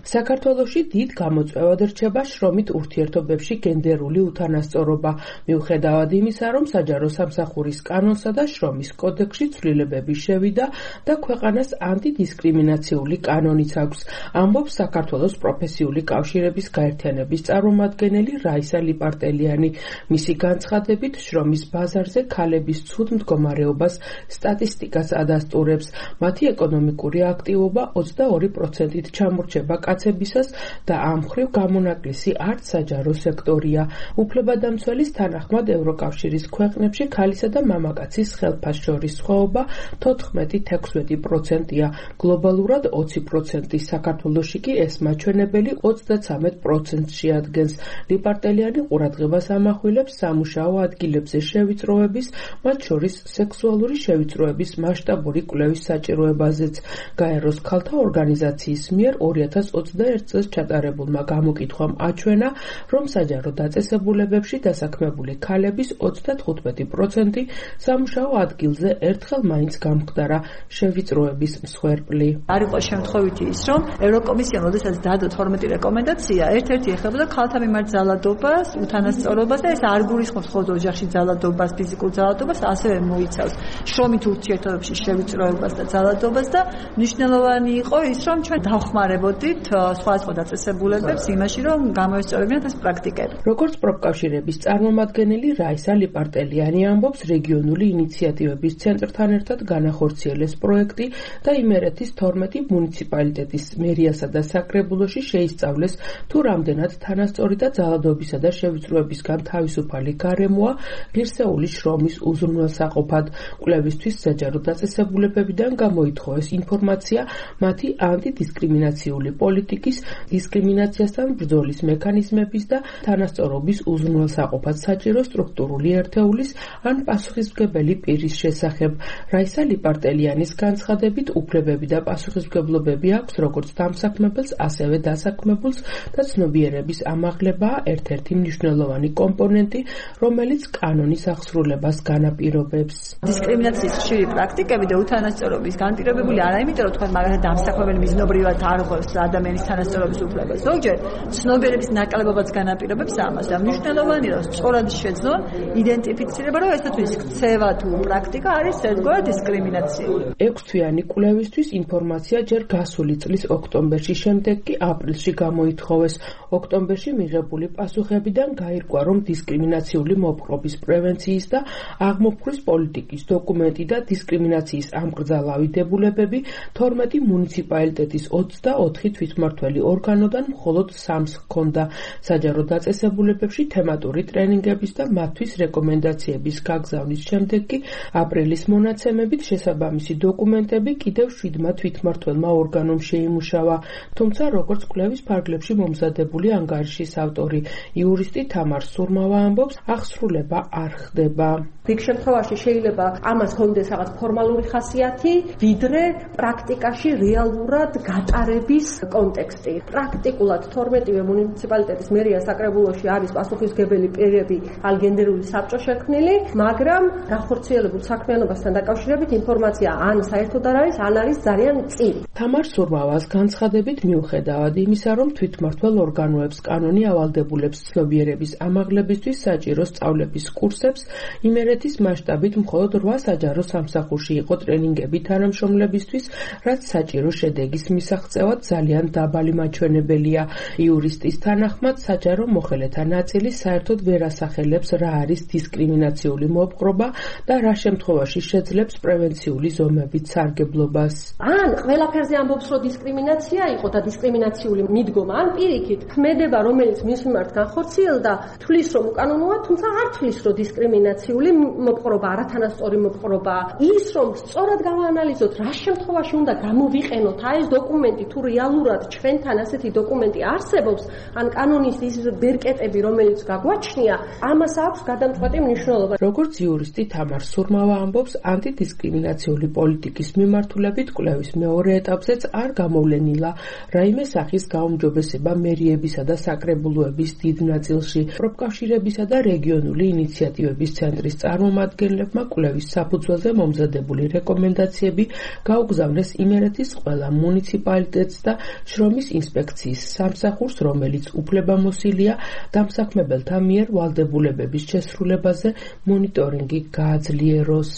საქართველოში დიდ გამოწვევად რჩება შრომით ურთიერთობებში გენდერული უთანასწორობა, მიუხედავად იმისა, რომ საჯარო სამსახურის კანონსა და შრომის კოდექსში ცვლილებები შევიდა და ქვეყანას ანტიდისკრიმინაციული კანონიც აქვს, ამბობს საქართველოს პროფესიული კავშირების გაერთიანების წარმომადგენელი რაისა ლიპარტელიანი. მისი განცხადებით, შრომის ბაზარზე ქალების ცუდ მდგომარეობას სტატისტიკას ადასტურებს. მათი ეკონომიკური აქტივობა ოცდაორი პროცენტით ჩამორჩება კაცებისას და ამ მხრივ გამონაკლისი არც საჯარო სექტორია. უფლებადამცველის თანახმად ევროკავშირის ქვეყნებში ქალისა და მამაკაცის ხელფას შორის სხვაობა თოთხმეტი თექვსმეტი პროცენტია, გლობალურად ოცი პროცენტი, საქართველოში კი ეს მაჩვენებელი ოცდაცამეტ პროცენტს შეადგენს. ლიპარტელიანი ყურადღებას ამახვილებს სამუშაო ადგილებზე შევიწროების, მათ შორის სექსუალური შევიწროების მასშტაბური კვლევის საჭიროებაზეც. გაეროს ქალთა ორგანიზაციის მიერ ორი ათას ოცდაერთ წელს ჩატარებულმა გამოკითხვამ აჩვენა, რომ საჯარო დაწესებულებებში დასაქმებული ქალების ოცდათხუთმეტი პროცენტი სამუშაო ადგილზე ერთხელ მაინც გამხდარა შევიწროების მსხვერპლი. არ იყო შემთხვევითი ის, რომ ევროკომისიამ როდესაც დადო თორმეტი რეკომენდაცია, ერთ-ერთი ეხებოდა ქალთა მიმართ ძალადობას, უთანასწორობას და ეს არ გულისხმობს მხოლოდ ოჯახში ძალადობას, ფიზიკურ ძალადობას, ასევე მოიცავს შრომით ურთიერთობებში შევიწროებას და ძალადობას და მნიშვნელოვანი იყო ის, რომ ჩვენ დავხმარებოდით სხვადასხვა დაწესებულებებს იმაში, რომ გამოესწორებინათ ეს პრაქტიკები. როგორც პროფკავშირების წარმომადგენელი რაისა ლიპარტელიანი ამბობს, რეგიონული ინიციატივების ცენტრთან ერთად განახორციელეს პროექტი და იმერეთის თორმეტი მუნიციპალიტეტის მერიასა და საკრებულოში შეისწავლეს, თუ რამდენად თანასწორი და ძალადობისა და შევიწროებისგან თავისუფალი გარემოა ღირსეული შრომის უზრუნველსაყოფად. კვლევისთვის საჯარო დაწესებულებებიდან გამოითხოვეს ინფორმაცია მათი ანტიდისკრიმინაციული პოლიტიკის, დისკრიმინაციასთან ბრძოლის მექანიზმების და თანასწორობის უზრუნველსაყოფად საჭირო სტრუქტურული ერთეულის ან პასუხისმგებელი პირის შესახებ. რაისა ლიპარტელიანის განცხადებით, უფლებები და პასუხისმგებლობები აქვს როგორც დამსაქმებელს, ასევე დასაქმებულს და ცნობიერების ამაღლებაა ერთ-ერთი მნიშვნელოვანი კომპონენტი, რომელიც კანონის აღსრულებას განაპირობებს. დისკრიმინაციის ხშირი პრაქტიკები და უთანასწორობის განპირობებული არა იმიტომ, რომ თქვენ მაგალითად დამსაქმებელი მიზნობრივად არ ღვევს ადამიანს ადამიანის თანასწორობის უფლება. ზოგჯერ ცნობიერების ნაკლებობაც განაპირობებს ამას. და მნიშვნელოვანია, რომ სწორად შეძლონ იდენტიფიცირება, რომ ესეც ქცევა თუ პრაქტიკა არის ერთგვარ დისკრიმინაციული. ექვსთვიანი კვლევისთვის ინფორმაცია ჯერ გასული წლის ოქტომბერში, შემდეგ კი აპრილში გამოითხოვეს. ოქტომბერში მიღებული პასუხებიდან გაირკვა, რომ დისკრიმინაციული მოპყრობის პრევენციის და აღმოფხვრის პოლიტიკის დოკუმენტი და დისკრიმინაციის ამკრძალავი დებულებები თორმეტი მუნიციპალიტეტის ოცდაოთხი თვითმმართველი ორგანოდან მხოლოდ სამს ჰქონდა. საჯარო დაწესებულებებში თემატური ტრენინგების და მათთვის რეკომენდაციების გაგზავნის შემდეგ კი აპრილის მონაცემებით შესაბამისი დოკუმენტები კიდევ შვიდმა თვითმმართველმა ორგანომ შეიმუშავა. თუმცა როგორც კვლევის ფარგლებში მომზადებული ანგარიშის ავტორი იურისტი თამარ სურმავა ამბობს, აღსრულება არ ხდება. რიგ შემთხვევაში შეიძლება ამას ჰქონდეს რაღაც ფორმალური ხასიათი, ვიდრე პრაქტიკაში რეალურად გატარების კონტექსტი. პრაქტიკულად თორმეტივე მუნიციპალიტეტის მერია საკრებულოში არის პასუხისმგებელი პირები ალგენდერული საბჭო შექმნილი, მაგრამ განხორციელებულ საქმიანობასთან დაკავშირებით ინფორმაცია ან საერთოდ არ არის, ან არის ძალიან წილი. თამარ სურმავას განცხადებით, მიუხედავად იმისა, რომ თვითმმართველ ორგანოებს კანონი ავალდებულებს ცნობიერების ამაღლებისთვის საჭირო სწავლების კურსებს, იმერეთის მასშტაბით მხოლოდ რვა საჯარო სამსახურში იყო ტრენინგები თანამშრომლებისთვის, რაც საჭირო შედეგის მისაღწევად ძალიან დაბალი მაჩვენებელია. იურისტის თანახმად, საჯარო მოხელეთა ნაწილი საერთოდ ვერ ასახელებს, რა არის დისკრიმინაციული მოპყრობა და რა შემთხვევაში შეძლებს პრევენციული ზომებით სარგებლობას. ან ყველაფერზე ამბობს, რომ დისკრიმინაცია იყო და დისკრიმინაციული მიდგომა, ან პირიქით ქმედება, რომელიც მის მიმართ განხორციელდა, თვლის, რომ უკანონოა, თუმცა არ თვლის, რომ დისკრიმინაციული მოპყრობა, არათანასწორი მოპყრობა. ის, რომ სწორად გავაანალიზოთ, რა შემთხვევაში უნდა გამოვიყენოთ აი ეს დოკუმენტი, თუ რეალურად ჩვენთან ასეთი დოკუმენტი არსებობს, ან კანონის ის ბერკეტები, რომელიც გაგვაჩნია, ამას აქვს გადამწყვეტი მნიშვნელობა. როგორც იურისტი თამარ სურმავა ამბობს, ანტიდისკრიმინაციული პოლიტიკის მიმართულებით კვლევის მეორე ეტაპზეც არ გამოვლენილა რაიმე სახის გაუმჯობესება მერიებისა და საკრებულოების დიდ ნაწილში. პროფკავშირებისა და რეგიონული ინიციატივების ცენტრის წარმომადგენლებმა კვლევის საფუძველზე მომზადებული რეკომენდაციები გაუგზავნეს იმერეთის ყველა მუნიციპალიტეტს და შრომის ინსპექციის სამსახურს, რომელიც უფლებამოსილია დამსაქმებელთა მიერ ვალდებულებების შესრულებაზე მონიტორინგი გააძლიეროს.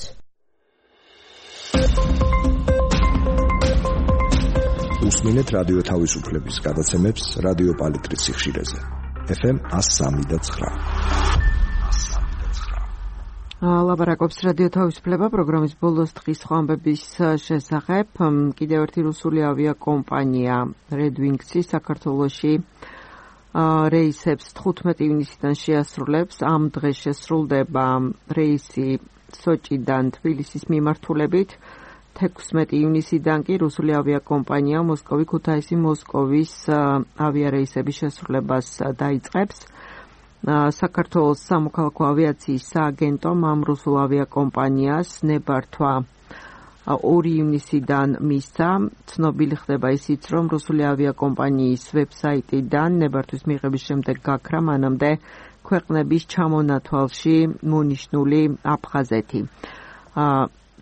უსმინეთ რადიო თავისუფლების გადაცემებს რადიო პალიტრის სიხშირეზე. ეფ ემ one oh three point nine. ლაბარაკობს რადიო თავისუფლება პროგრამის ბოლოს დღის სხვა ამბების შესახებ. კიდევ ერთი რუსული ავიაკომპანია Red Wings-ი საქართველოში რეისებს თხუთმეტი ივნისიდან შეასრულებს. ამ დღეს შესრულდება რეისი სოჭიდან თბილისის მიმართულებით. თექვსმეტი ივნისიდან კი რუსული ავიაკომპანია მოსკოვი ქუთაისი მოსკოვის ავიარეისების შესრულებას დაიწყებს. საქართველოს სამოქალაქო ავიაციის სააგენტომ ამ რუსულ ავიაკომპანიას ნებართვა ორი ივნისიდან მისცა. ცნობილი ხდება ისიც, რომ რუსული ავიაკომპანიის ვებსაიტიდან ნებართვის მიღების შემდეგ გაქრა მანამდე ქვეყნების ჩამონათვალში მონიშნული აფხაზეთი.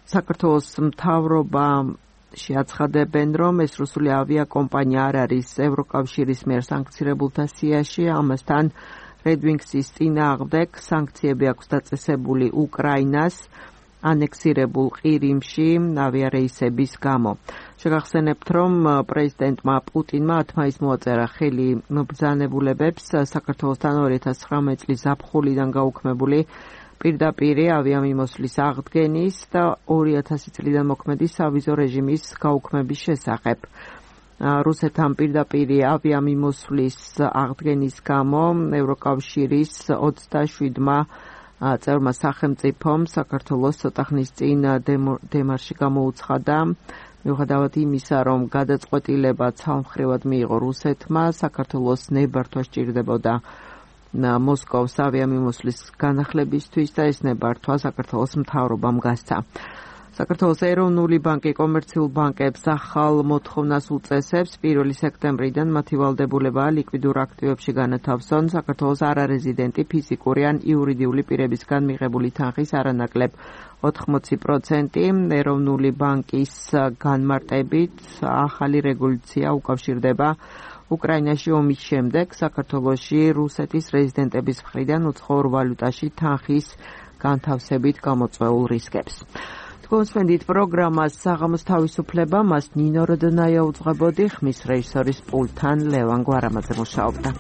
საქართველოს მთავრობაში აცხადებენ, რომ ეს რუსული ავიაკომპანია არ არის ევროკავშირის მიერ სანქცირებულთა სიაში, ამასთან Red Wings-ის წინააღმდეგ სანქციები აქვს დაწესებული უკრაინას ანექსირებულ ყირიმში ავიარეისების გამო. შეგახსენებთ, რომ პრეზიდენტმა პუტინმა ათ მაისს მოაწერა ხელი მობრძანებულებებს საქართველოსთან ორი ათას ცხრამეტი წლის ზაფხულიდან გაუქმებული პირდაპირი ავიამიმოსვლის აღდგენის და ორი ათასი წლიდან მოქმედი სავიზო რეჟიმის გაუქმების შესახებ. რუსეთთან პირდაპირი ავიამიმოსვლის აღდგენის გამო ევროკავშირის ოცდაშვიდმა წევრმა სახელმწიფომ საქართველოს ცოტა ხნის წინ დემარში გამოუცხადა, მიუხედავად იმისა, რომ გადაწყვეტილება ცალმხრივად მიიღო რუსეთმა, საქართველოს ნებართვა სჭირდებოდა მოსკოვის ავიამიმოსვლის განახლებისთვის და ეს ნებართვა საქართველოს მთავრობამ გასცა. საქართველოს ეროვნული ბანკი კომერციულ ბანკებს ახალ მოთხოვნას უწესებს. პირველი სექტემბრიდან მათი ვალდებულებაა ლიკვიდურ აქტივებში განათავსონ საქართველოს არარეზიდენტი ფიზიკური ან იურიდიული პირებისგან მიღებული თანხის არანაკლებ ოთხმოცი პროცენტი. ეროვნული ბანკის განმარტებით ახალი რეგულაცია უკავშირდება უკრაინაში ომის შემდეგ საქართველოში რუსეთის რეზიდენტების მხრიდან უცხოურ ვალუტაში თანხის განთავსებით გამოწვეულ რისკებს. Თქვენსმენდით პროგრამას საღამოს თავისუფლება, მას ნინო როდნაია უძღვებოდი, ხმის რეჟისორის პულტთან ლევან გვარამაძე მუშაობდა.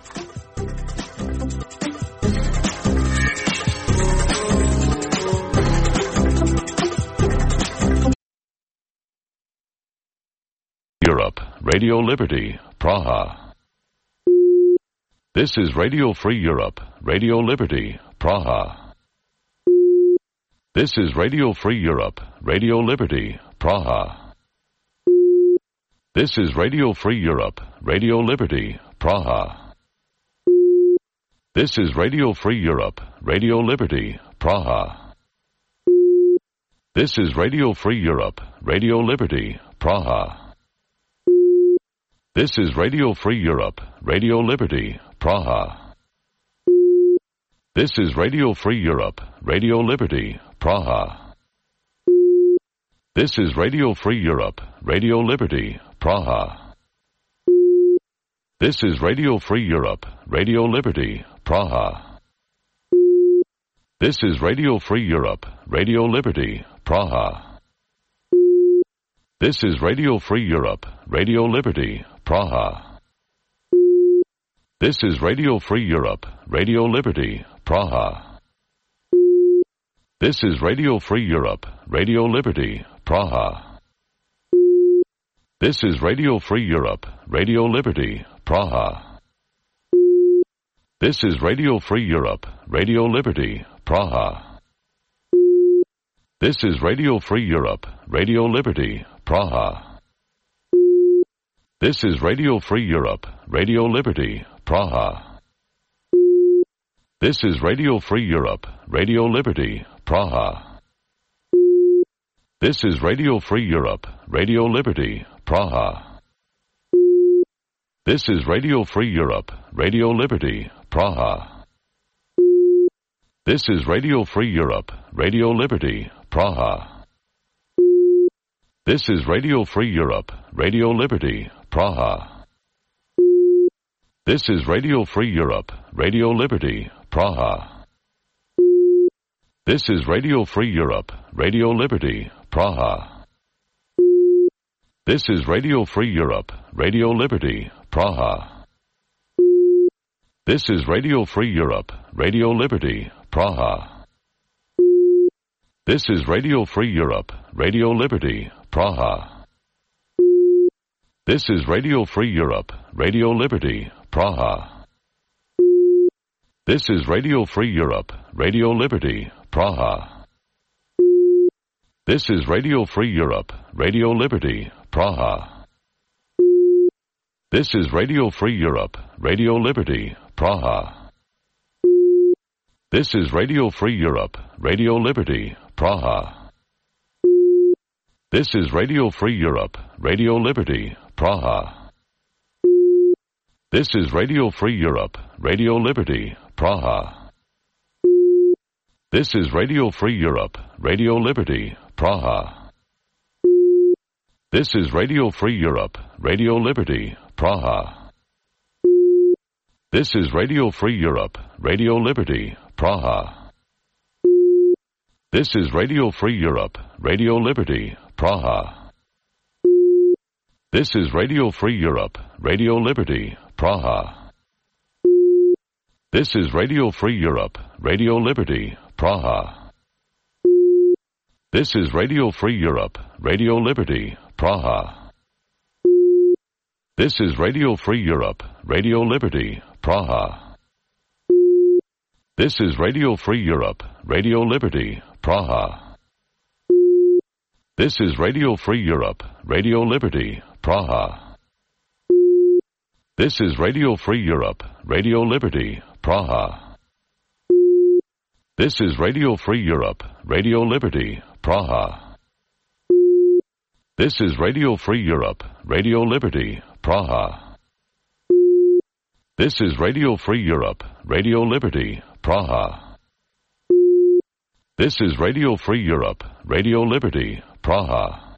Europe, Radio Liberty, Praha. This is Radio Free Europe, Radio Liberty, Praha. This is Radio Free Europe, Radio Liberty, Praha. This is Radio Free Europe, Radio Liberty, Praha. This is Radio Free Europe, Radio Liberty, Praha. This is Radio Free Europe, Radio Liberty, Praha. This is Radio Free Europe, Radio Liberty, Praha. This is Radio Free Europe, Radio Liberty, Praha. This is Radio Free Europe, Radio Liberty, Praha. This is Radio Free Europe, Radio Liberty, Praha. This is Radio Free Europe, Radio Liberty, Praha. This is Radio Free Europe, Radio Liberty, Praha. This is Radio Free Europe, Radio Liberty, Praha. This is Radio Free Europe, Radio Liberty, Praha. This is Radio Free Europe, Radio Liberty, Praha. This is Radio Free Europe, Radio Liberty, Praha. This is Radio Free Europe, Radio Liberty, Praha. This is Radio Free Europe, Radio Liberty, Praha. This is Radio Free Europe, Radio Liberty, Praha. This is Radio Free Europe, Radio Liberty, Praha. This is Radio Free Europe, Radio Liberty, Praha. This is Radio Free Europe, Radio Liberty, Praha. This is Radio Free Europe, Radio Liberty, Praha. This is Radio Free Europe, Radio Liberty, Praha. This is Radio Free Europe, Radio Liberty, Praha. This is Radio Free Europe, Radio Liberty, Praha. This is Radio Free Europe, Radio Liberty, Praha. This is Radio Free Europe, Radio Liberty, Praha. This is Radio Free Europe, Radio Liberty, Praha. This is Radio Free Europe, Radio Liberty, Praha. This is Radio Free Europe, Radio Liberty, Praha. This is Radio Free Europe, Radio Liberty, Praha. This is Radio Free Europe, Radio Liberty, Praha. This is Radio Free Europe, Radio Liberty, Praha. This is Radio Free Europe, Radio Liberty, Praha. This is Radio Free Europe, Radio Liberty, Praha. This is Radio Free Europe, Radio Liberty, Praha. This is Radio Free Europe, Radio Liberty, Praha. This is Radio Free Europe, Radio Liberty, Praha. This is Radio Free Europe, Radio Liberty, Praha. This is Radio Free Europe, Radio Liberty, Praha. This is Radio Free Europe, Radio Liberty, Praha. This is Radio Free Europe, Radio Liberty, Praha. This is Radio Free Europe, Radio Liberty, Praha. This is Radio Free Europe, Radio Liberty, Praha. This is Radio Free Europe, Radio Liberty, Praha. This is Radio Free Europe, Radio Liberty, Praha. This is Radio Free Europe, Radio Liberty, Praha. This is Radio Free Europe, Radio Liberty, Praha. This is Radio Free Europe, Radio Liberty, Praha.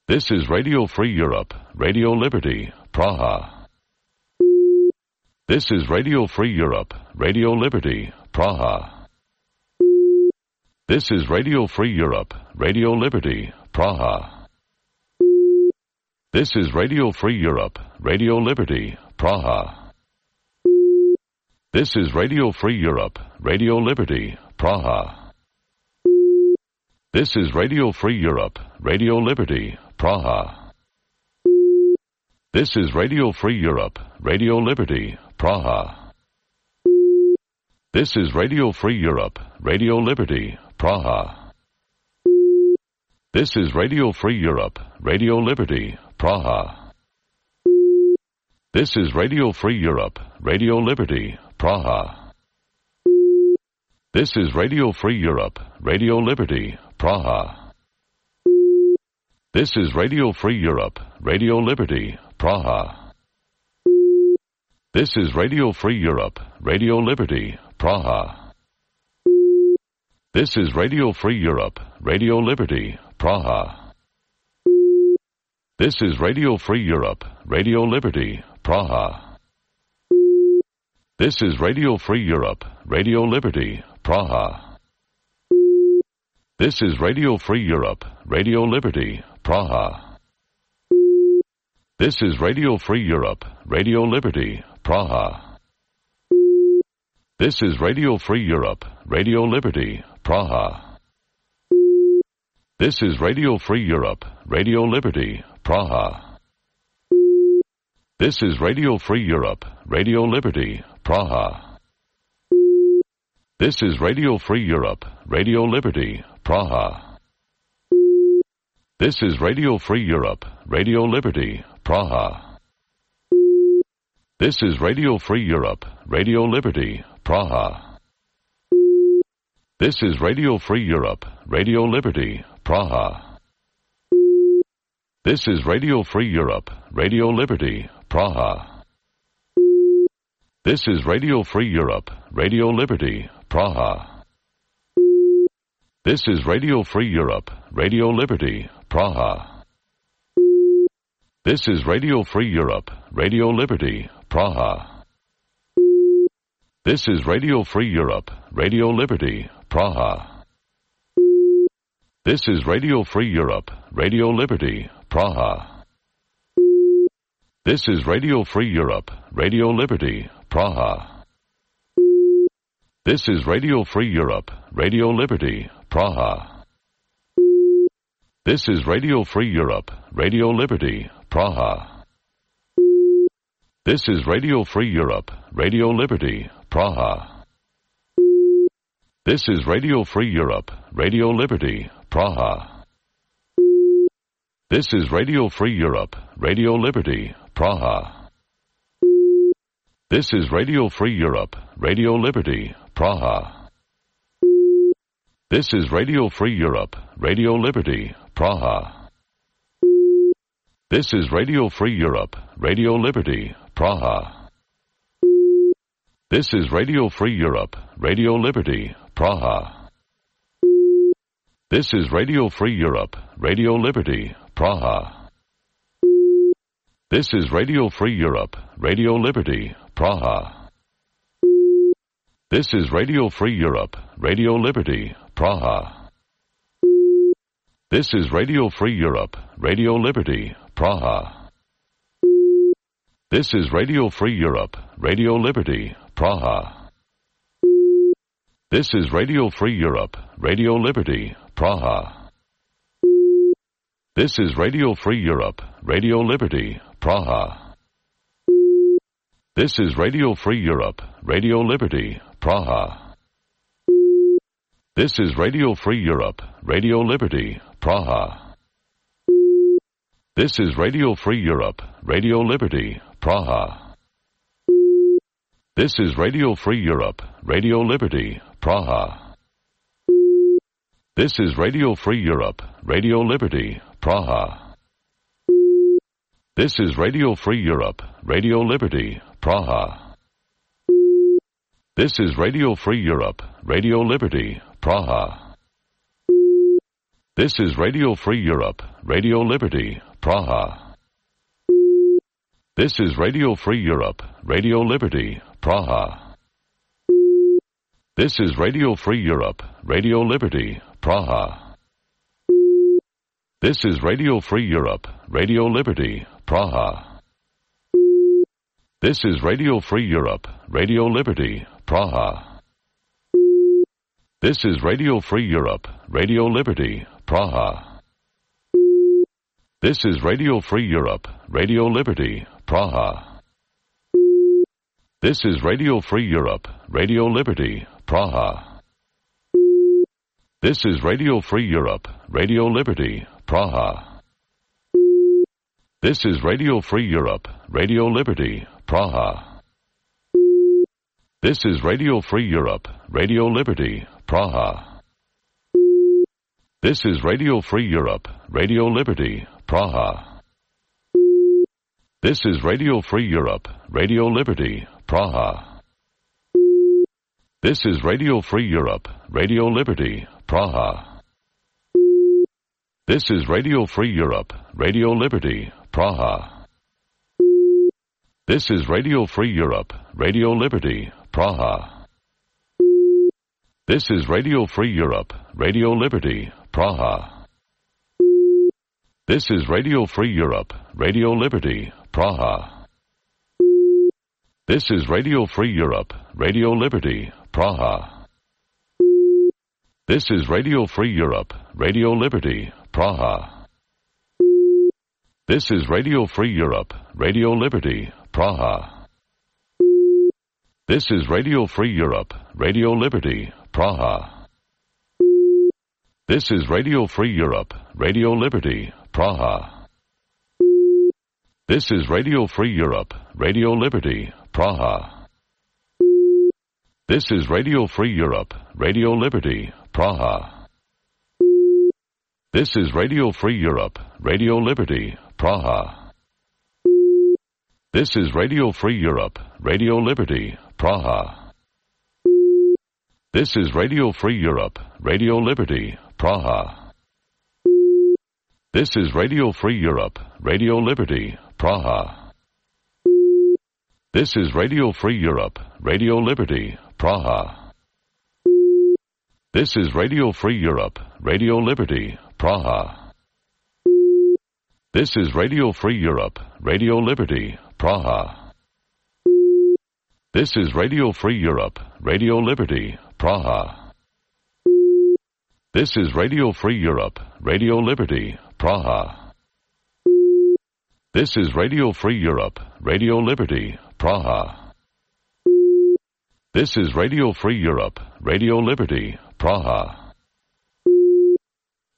This is Radio Free Europe, Radio Liberty, Praha. This is Radio Free Europe, Radio Liberty, Praha. This is Radio Free Europe, Radio Liberty, Praha. This is Radio Free Europe, Radio Liberty, Praha. This is Radio Free Europe, Radio Liberty, Praha. This is Radio Free Europe, Radio Liberty, Praha. This is Radio Free Europe, Radio Liberty, Praha. This is Radio Free Europe, Radio Liberty, Praha. This is Radio Free Europe, Radio Liberty, Praha. This is Radio Free Europe, Radio Liberty, Praha. This is Radio Free Europe, Radio Liberty, Praha. This is Radio Free Europe, Radio Liberty, Praha. This is Radio Free Europe, Radio Liberty, Praha. This is Radio Free Europe, Radio Liberty, Praha. This is Radio Free Europe, Radio Liberty, Praha. This is Radio Free Europe, Radio Liberty, Praha. This is Radio Free Europe, Radio Liberty, Praha. This is Radio Free Europe, Radio Liberty, Praha. This is Radio Free Europe, Radio Liberty, Praha. This is Radio Free Europe, Radio Liberty, Praha. This is Radio Free Europe, Radio Liberty, Praha. This is Radio Free Europe, Radio Liberty, Praha. This is Radio Free Europe, Radio Liberty, Praha. This is Radio Free Europe, Radio Liberty, Praha. This is Radio Free Europe, Radio Liberty, Praha. This is Radio Free Europe, Radio Liberty, Praha. This is Radio Free Europe, Radio Liberty, Praha. This is Radio Free Europe, Radio Liberty, Praha. This is Radio Free Europe, Radio Liberty, Praha. This is Radio Free Europe, Radio Liberty, Praha. This is Radio Free Europe, Radio Liberty, Praha. This is Radio Free Europe, Radio Liberty, Praha. This is Radio Free Europe, Radio Liberty, Praha. This is Radio Free Europe, Radio Liberty, Praha. This is Radio Free Europe, Radio Liberty, Praha. This is Radio Free Europe, Radio Liberty, Praha. This is Radio Free Europe, Radio Liberty, Praha. This is Radio Free Europe, Radio Liberty, Praha. This is Radio Free Europe, Radio Liberty, Praha. This is Radio Free Europe, Radio Liberty, Praha. This is Radio Free Europe, Radio Liberty, Praha. This is Radio Free Europe, Radio Liberty, Praha. This is Radio Free Europe, Radio Liberty, Praha. This is Radio Free Europe, Radio Liberty, Praha. This is Radio Free Europe, Radio Liberty, Praha. This is Radio Free Europe, Radio Liberty, Praha. This is Radio Free Europe, Radio Liberty, Praha. This is Radio Free Europe, Radio Liberty, Praha. This is Radio Free Europe, Radio Liberty, Praha. This is Radio Free Europe, Radio Liberty, Praha. This is Radio Free Europe, Radio Liberty, Praha. This is Radio Free Europe, Radio Liberty, Praha. This is Radio Free Europe, Radio Liberty, Praha. This is Radio Free Europe, Radio Liberty, Praha. This is Radio Free Europe, Radio Liberty, Praha. This is Radio Free Europe, Radio Liberty, Praha. This is Radio Free Europe, Radio Liberty, Praha. This is Radio Free Europe, Radio Liberty, Praha. This is Radio Free Europe, Radio Liberty, Praha. This is Radio Free Europe, Radio Liberty, Praha. This is Radio Free Europe, Radio Liberty, Praha. This is Radio Free Europe, Radio Liberty, Praha. This is Radio Free Europe, Radio Liberty, Praha. This is Radio Free Europe, Radio Liberty, Praha. This is Radio Free Europe, Radio Liberty, Praha. This is Radio Free Europe, Radio Liberty, Praha. This is Radio Free Europe, Radio Liberty, Praha. This is Radio Free Europe, Radio Liberty, Praha. This is Radio Free Europe, Radio Liberty, Praha. This is Radio Free Europe, Radio Liberty, Praha. This is Radio Free Europe, Radio Liberty, Praha. This is Radio Free Europe, Radio Liberty, Praha. This is Radio Free Europe, Radio Liberty, Praha. This is Radio Free Europe, Radio Liberty, Praha. This is Radio Free Europe, Radio Liberty, Praha. This is Radio Free Europe, Radio Liberty, Praha. This is Radio Free Europe, Radio Liberty, Praha. This is Radio Free Europe, Radio Liberty, Praha. This is Radio Free Europe, Radio Liberty, Praha. This is Radio Free Europe, Radio Liberty, Praha. This is Radio Free Europe, Radio Liberty, Praha. This is Radio Free Europe, Radio Liberty, Praha. This is Radio Free Europe, Radio Liberty, Praha. This is Radio Free Europe, Radio Liberty, Praha. This is Radio Free Europe, Radio Liberty, Praha. This is Radio Free Europe, Radio Liberty, Praha. This is Radio Free Europe, Radio Liberty, Praha. This is Radio Free Europe, Radio Liberty, Praha. This is Radio Free Europe, Radio Liberty, Praha. This is Radio Free Europe, Radio Liberty, Praha. This is Radio Free Europe, Radio Liberty, Praha.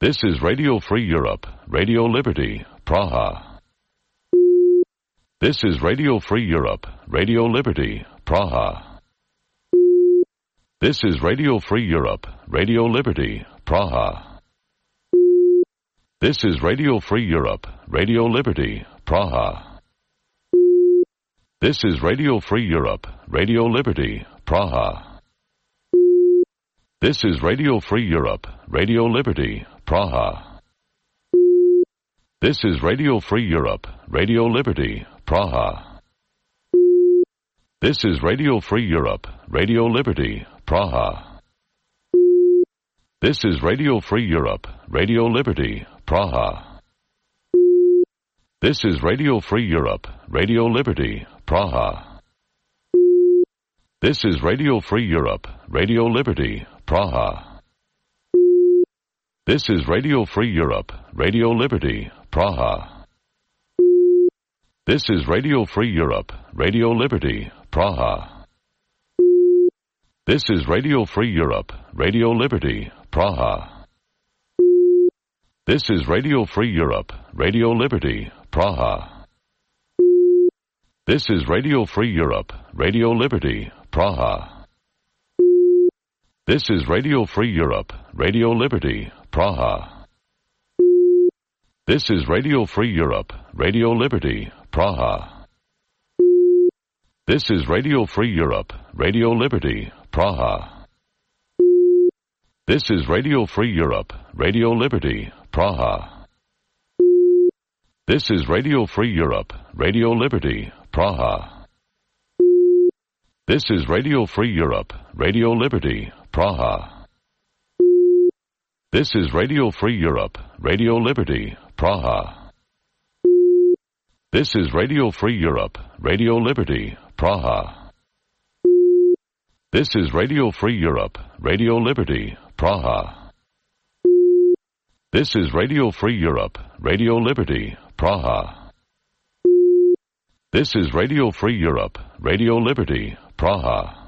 This is Radio Free Europe, Radio Liberty, Praha. This is Radio Free Europe, Radio Liberty, Praha. This is Radio Free Europe, Radio Liberty, Praha. This is Radio Free Europe, Radio Liberty, Praha. This is Radio Free Europe, Radio Liberty, Praha. This is Radio Free Europe, Radio Liberty, Praha. This is Radio Free Europe, Radio Liberty, Praha. This is Radio Free Europe, Radio Liberty, Praha. This is Radio Free Europe, Radio Liberty, Praha. This is Radio Free Europe, Radio Liberty, Praha. This is Radio Free Europe, Radio Liberty, Praha. This is Radio Free Europe, Radio Liberty, Praha. This is Radio Free Europe, Radio Liberty, Praha. This is Radio Free Europe, Radio Liberty, Praha. This is Radio Free Europe, Radio Liberty, Praha. This is Radio Free Europe, Radio Liberty, Praha. This is Radio Free Europe, Radio Liberty, Praha. This is Radio Free Europe, Radio Liberty, Praha. This is Radio Free Europe, Radio Liberty, Praha. This is Radio Free Europe, Radio Liberty, Praha. This is Radio Free Europe, Radio Liberty, Praha. This is Radio Free Europe, Radio Liberty, Praha. This is Radio Free Europe, Radio Liberty, Praha. This is Radio Free Europe, Radio Liberty, Praha. This is Radio Free Europe, Radio Liberty, Praha. This is Radio Free Europe, Radio Liberty, Praha. This is Radio Free Europe, Radio Liberty, Praha.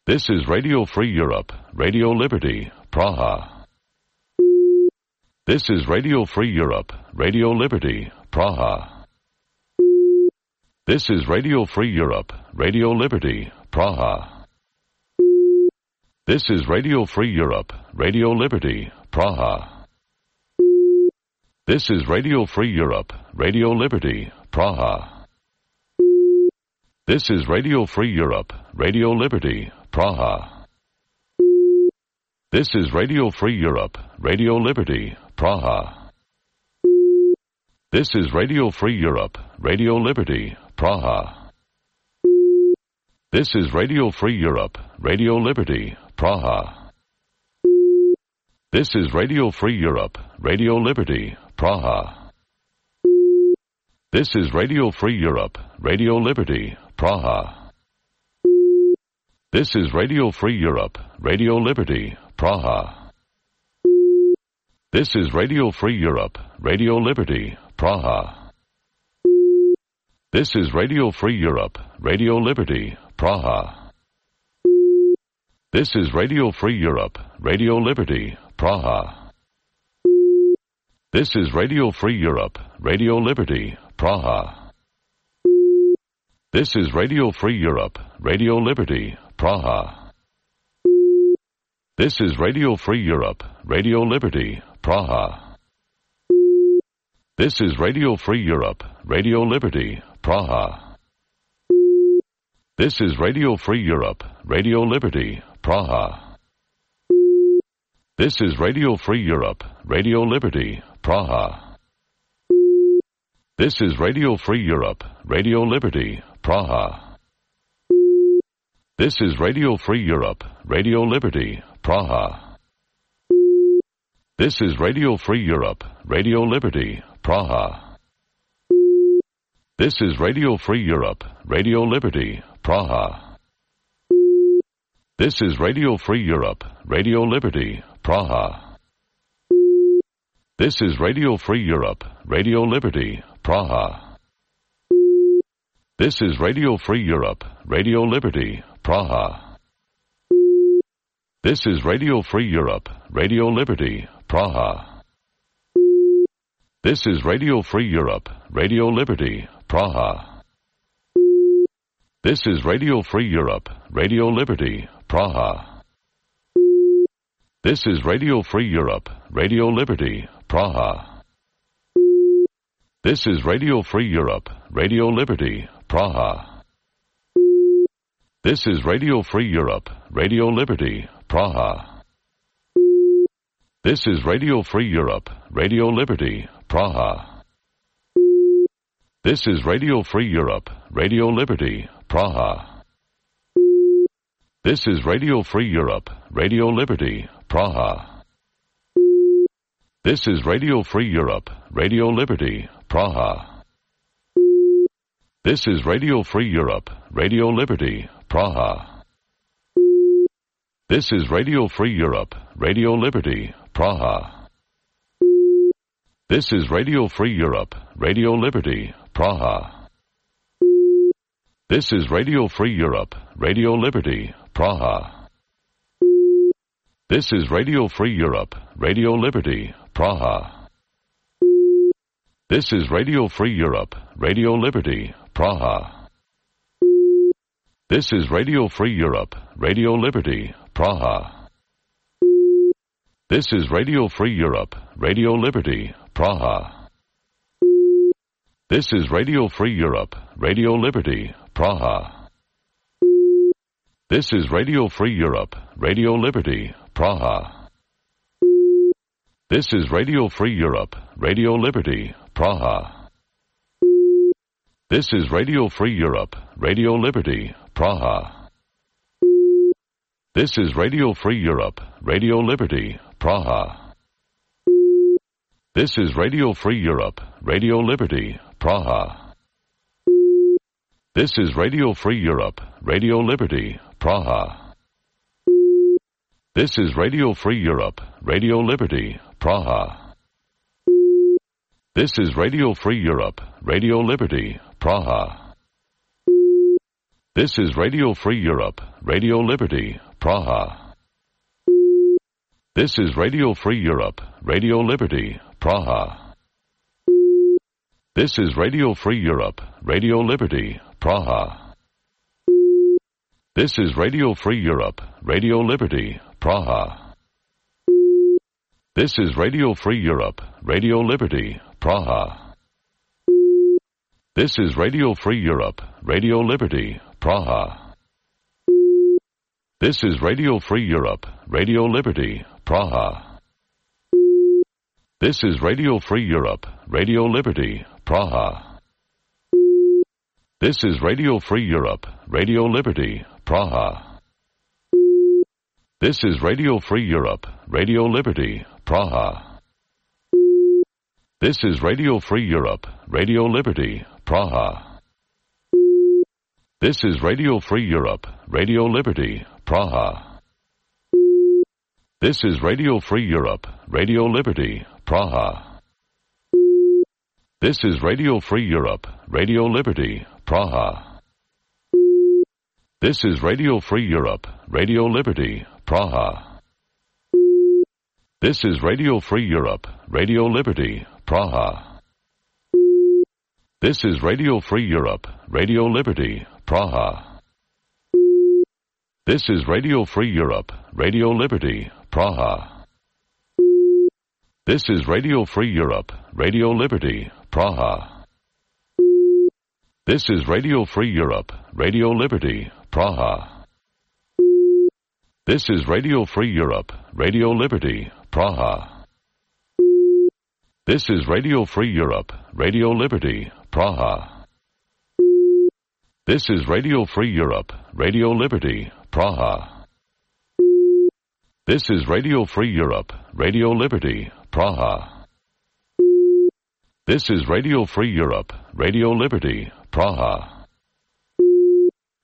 This is Radio Free Europe, Radio Liberty, Praha. This is Radio Free Europe, Radio Liberty, Praha. This is Radio Free Europe, Radio Liberty, Praha. This is Radio Free Europe, Radio Liberty, Praha. This is Radio Free Europe, Radio Liberty, Praha. This is Radio Free Europe, Radio Liberty, Praha. This is Radio Free Europe, Radio Liberty, Praha. This is Radio Free Europe, Radio Liberty, Praha. This is Radio Free Europe, Radio Liberty, Praha. This is Radio Free Europe, Radio Liberty, Praha. This is Radio Free Europe, Radio Liberty, Praha. This is Radio Free Europe, Radio Liberty, Praha. This is Radio Free Europe, Radio Liberty, Praha. This is Radio Free Europe, Radio Liberty, Praha. This is Radio Free Europe, Radio Liberty, Praha. This is Radio Free Europe, Radio Liberty, Praha. This is Radio Free Europe, Radio Liberty, Praha. This is Radio Free Europe, Radio Liberty, Praha. This is Radio Free Europe, Radio Liberty, Praha. This is Radio Free Europe, Radio Liberty, Praha. This is Radio Free Europe, Radio Liberty, Praha. This is Radio Free Europe, Radio Liberty, Praha. This is Radio Free Europe, Radio Liberty, Praha. This is Radio Free Europe, Radio Liberty, Praha. This is Radio Free Europe, Radio Liberty, Praha. This is Radio Free Europe, Radio Liberty, Praha. This is Radio Free Europe, Radio Liberty, Praha. This is Radio Free Europe, Radio Liberty, Praha. This is Radio Free Europe, Radio Liberty, Praha. This is Radio Free Europe, Radio Liberty, Praha. This is Radio Free Europe, Radio Liberty, Praha. This is Radio Free Europe, Radio Liberty, Praha. This is Radio Free Europe, Radio Liberty, Praha. This is Radio Free Europe, Radio Liberty, Praha. This is Radio Free Europe, Radio Liberty, Praha. This is Radio Free Europe, Radio Liberty, Praha. This is Radio Free Europe, Radio Liberty, Praha. This is Radio Free Europe, Radio Liberty, Praha. This is Radio Free Europe, Radio Liberty, Praha. This is Radio Free Europe, Radio Liberty, Praha. This is Radio Free Europe, Radio Liberty, Praha. This is Radio Free Europe, Radio Liberty, Praha. This is Radio Free Europe, Radio Liberty, Praha. This is Radio Free Europe, Radio Liberty, Praha. This is Radio Free Europe, Radio Liberty, Praha. This is Radio Free Europe, Radio Liberty, Praha. This is Radio Free Europe, Radio Liberty, Praha. This is Radio Free Europe, Radio Liberty, Praha. This is Radio Free Europe, Radio Liberty, Praha. This is Radio Free Europe, Radio Liberty, Praha. This is Radio Free Europe, Radio Liberty, Praha. This is Radio Free Europe, Radio Liberty, Praha. This is Radio Free Europe, Radio Liberty, Praha. This is Radio Free Europe, Radio Liberty, Praha. This is Radio Free Europe, Radio Liberty, Praha. This is Radio Free Europe, Radio Liberty, Praha. This is Radio Free Europe, Radio Liberty, Praha. This is Radio Free Europe, Radio Liberty, Praha. This is Radio Free Europe, Radio Liberty, Praha. This is Radio Free Europe, Radio Liberty, Praha. This is Radio Free Europe, Radio Liberty, Praha. This is Radio Free Europe, Radio Liberty, Praha. This is Radio Free Europe, Radio Liberty, Praha. This is Radio Free Europe, Radio Liberty, Praha. This is Radio Free Europe, Radio Liberty, Praha. This is Radio Free Europe, Radio Liberty, Praha. This is Radio Free Europe, Radio Liberty, Praha. This is Radio Free Europe, Radio Liberty, Praha. This is Radio Free Europe, Radio Liberty, Praha. This is Radio Free Europe, Radio Liberty, Praha. This is Radio Free Europe, Radio Liberty, Praha. This is Radio Free Europe, Radio Liberty, Praha. This is Radio Free Europe, Radio Liberty, Praha. This is Radio Free Europe, Radio Liberty, Praha. This is Radio Free Europe, Radio Liberty, Praha. This is Radio Free Europe, Radio Liberty, Praha. This is Radio Free Europe, Radio Liberty, Praha. This is Radio Free Europe, Radio Liberty, Praha. This is Radio Free Europe, Radio Liberty, Praha. This is Radio Free Europe, Radio Liberty, Praha. This is Radio Free Europe, Radio Liberty, Praha. This is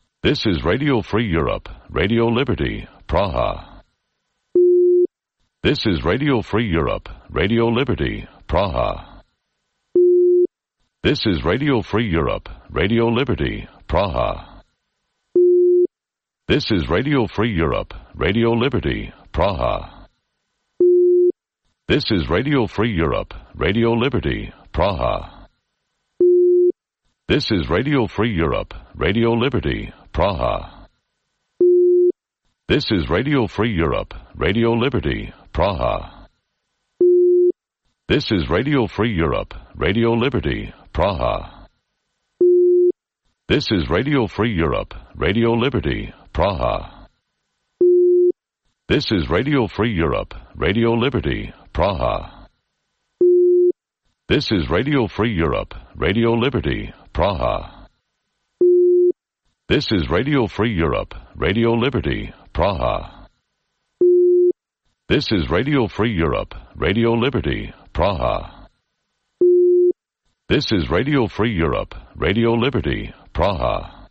Radio Free Europe, Radio Liberty, Praha. This is Radio Free Europe, Radio Liberty, Praha. This is Radio Free Europe, Radio Liberty, Praha. This is Radio Free Europe, Radio Liberty, Praha. This is Radio Free Europe, Radio Liberty, Praha. This is Radio Free Europe, Radio Liberty, Praha. This is Radio Free Europe, Radio Liberty, Praha. This is Radio Free Europe, Radio Liberty, Praha. This is Radio Free Europe, Radio Liberty, Praha. This is Radio Free Europe, Radio Liberty, Praha. This is Radio Free Europe, Radio Liberty, Praha. This is Radio Free Europe, Radio Liberty, Praha. This is Radio Free Europe, Radio Liberty, Praha.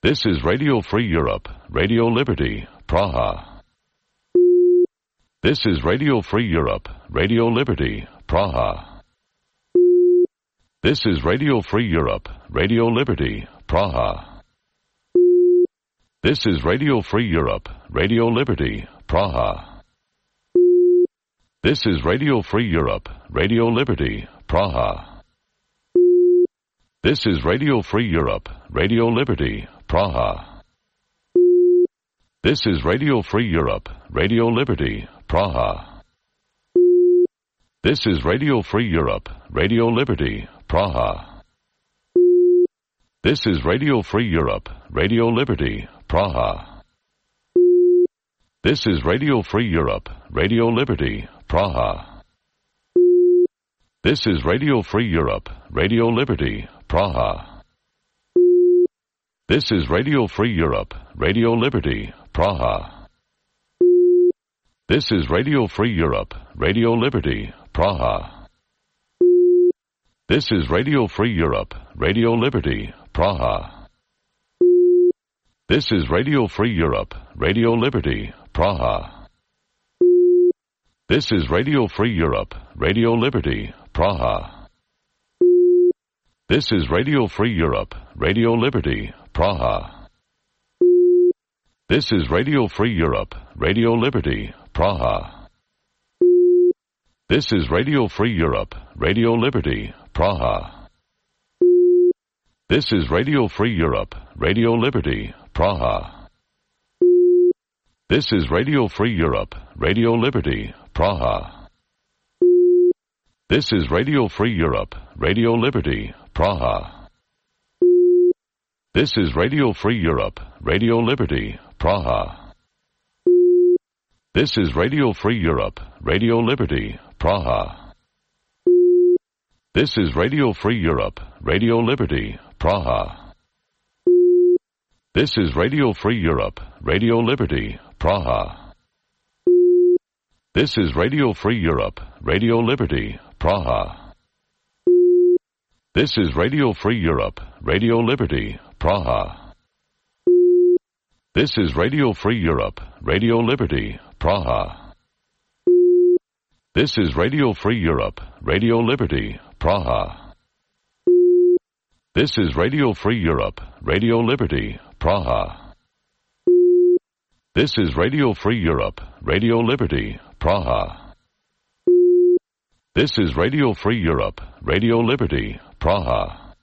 This is Radio Free Europe, Radio Liberty, Praha. This is Radio Free Europe, Radio Liberty, Praha. This is Radio Free Europe, Radio Liberty, Praha. This is Radio Free Europe, Radio Liberty, Praha. This is Radio Free Europe, Radio Liberty, Praha. This is Radio Free Europe, Radio Liberty, Praha. This is Radio Free Europe, Radio Liberty, Praha. This is Radio Free Europe, Radio Liberty, Praha. This is Radio Free Europe, Radio Liberty, Praha. This is Radio Free Europe, Radio Liberty, Praha. This is Radio Free Europe, Radio Liberty, Praha. This is Radio Free Europe, Radio Liberty, Praha. This is Radio Free Europe, Radio Liberty, Praha. This is Radio Free Europe, Radio Liberty, Praha. This is Radio Free Europe, Radio Liberty, Praha. This is Radio Free Europe, Radio Liberty, Praha. This is Radio Free Europe, Radio Liberty, Praha. This is Radio Free Europe, Radio Liberty, Praha. This is Radio Free Europe, Radio Liberty, Praha. This is Radio Free Europe, Radio Liberty, Praha. This is Radio Free Europe, Radio Liberty, Praha. This is Radio Free Europe, Radio Liberty, Praha. This is Radio Free Europe, Radio Liberty, Praha. This is Radio Free Europe, Radio Liberty, Praha. This is Radio Free Europe, Radio Liberty, Praha. This is Radio Free Europe, Radio Liberty, Praha. This is Radio Free Europe, Radio Liberty, Praha. This is Radio Free Europe, Radio Liberty, Praha. This is Radio Free Europe, Radio Liberty, Praha. This is Radio Free Europe, Radio Liberty, Praha. This is Radio Free Europe, Radio Liberty, Praha. This is Radio Free Europe, Radio Liberty, Praha. This is Radio Free Europe, Radio Liberty, Praha.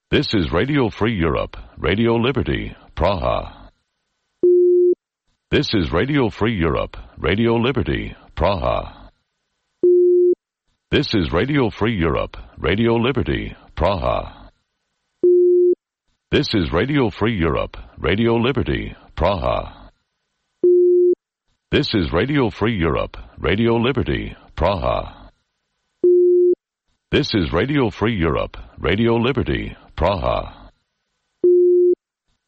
This is Radio Free Europe, Radio Liberty, Praha. This is Radio Free Europe, Radio Liberty, Praha. This is Radio Free Europe, Radio Liberty, Praha. This is Radio Free Europe, Radio Liberty, Praha. This is Radio Free Europe, Radio Liberty, Praha. This is Radio Free Europe, Radio Liberty, Praha.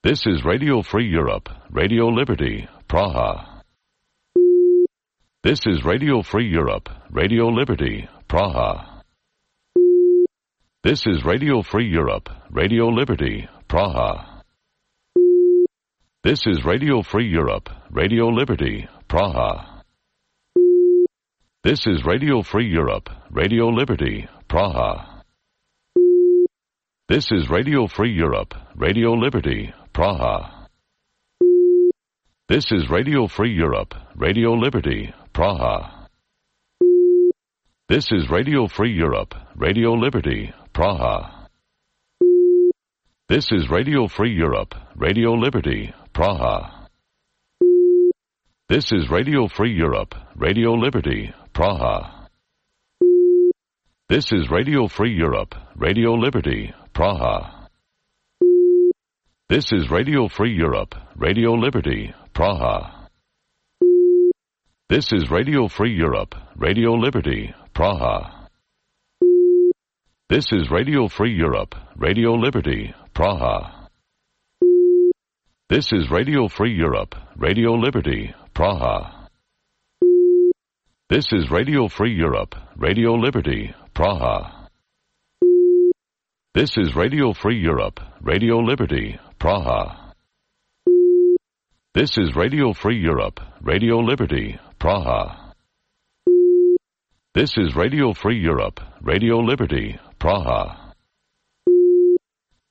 This is Radio Free Europe, Radio Liberty, Praha. This is Radio Free Europe, Radio Liberty, Praha. This is Radio Free Europe, Radio Liberty, Praha. This is Radio Free Europe, Radio Liberty, Praha. This is Radio Free Europe, Radio Liberty, Praha. This is Radio Free Europe, Radio Liberty, Praha. This is Radio Free Europe, Radio Liberty, Praha. This is Radio Free Europe, Radio Liberty, Praha. This is Radio Free Europe, Radio Liberty, Praha. This is Radio Free Europe, Radio Liberty, Praha. This is Radio Free Europe, Radio Liberty, Praha. This is Radio Free Europe, Radio Liberty, Praha. This is Radio Free Europe, Radio Liberty, Praha. This is Radio Free Europe, Radio Liberty, Praha. This is Radio Free Europe, Radio Liberty, Praha. This is Radio Free Europe, Radio Liberty, Praha. This is Radio Free Europe, Radio Liberty, Praha. This is Radio Free Europe, Radio Liberty, Praha. This is Radio Free Europe, Radio Liberty, Praha.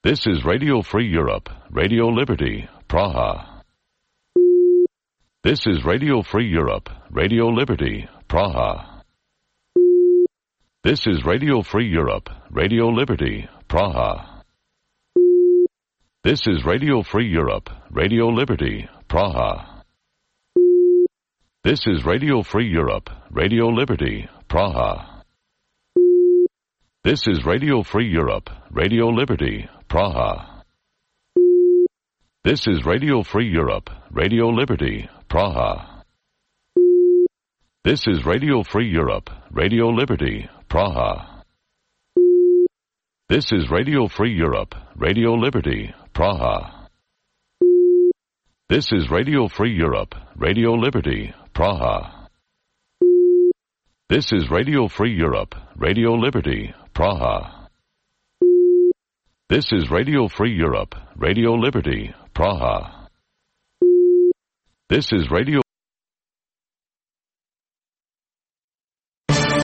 This is Radio Free Europe, Radio Liberty, Praha. This is Radio Free Europe, Radio Liberty, Praha. This is Radio Free Europe, Radio Liberty, Praha. This is Radio Free Europe, Radio Liberty, Praha. This is Radio Free Europe, Radio Liberty, Praha. This is Radio Free Europe, Radio Liberty, Praha. This is Radio Free Europe, Radio Liberty, Praha. This is Radio Free Europe, Radio Liberty, Praha. This is Radio Free Europe, Radio Liberty, Praha. This is Radio Free Europe, Radio Liberty, Praha. This is Radio Free Europe, Radio Liberty, Praha. This is Radio Free Europe, Radio Liberty, Praha. This is Radio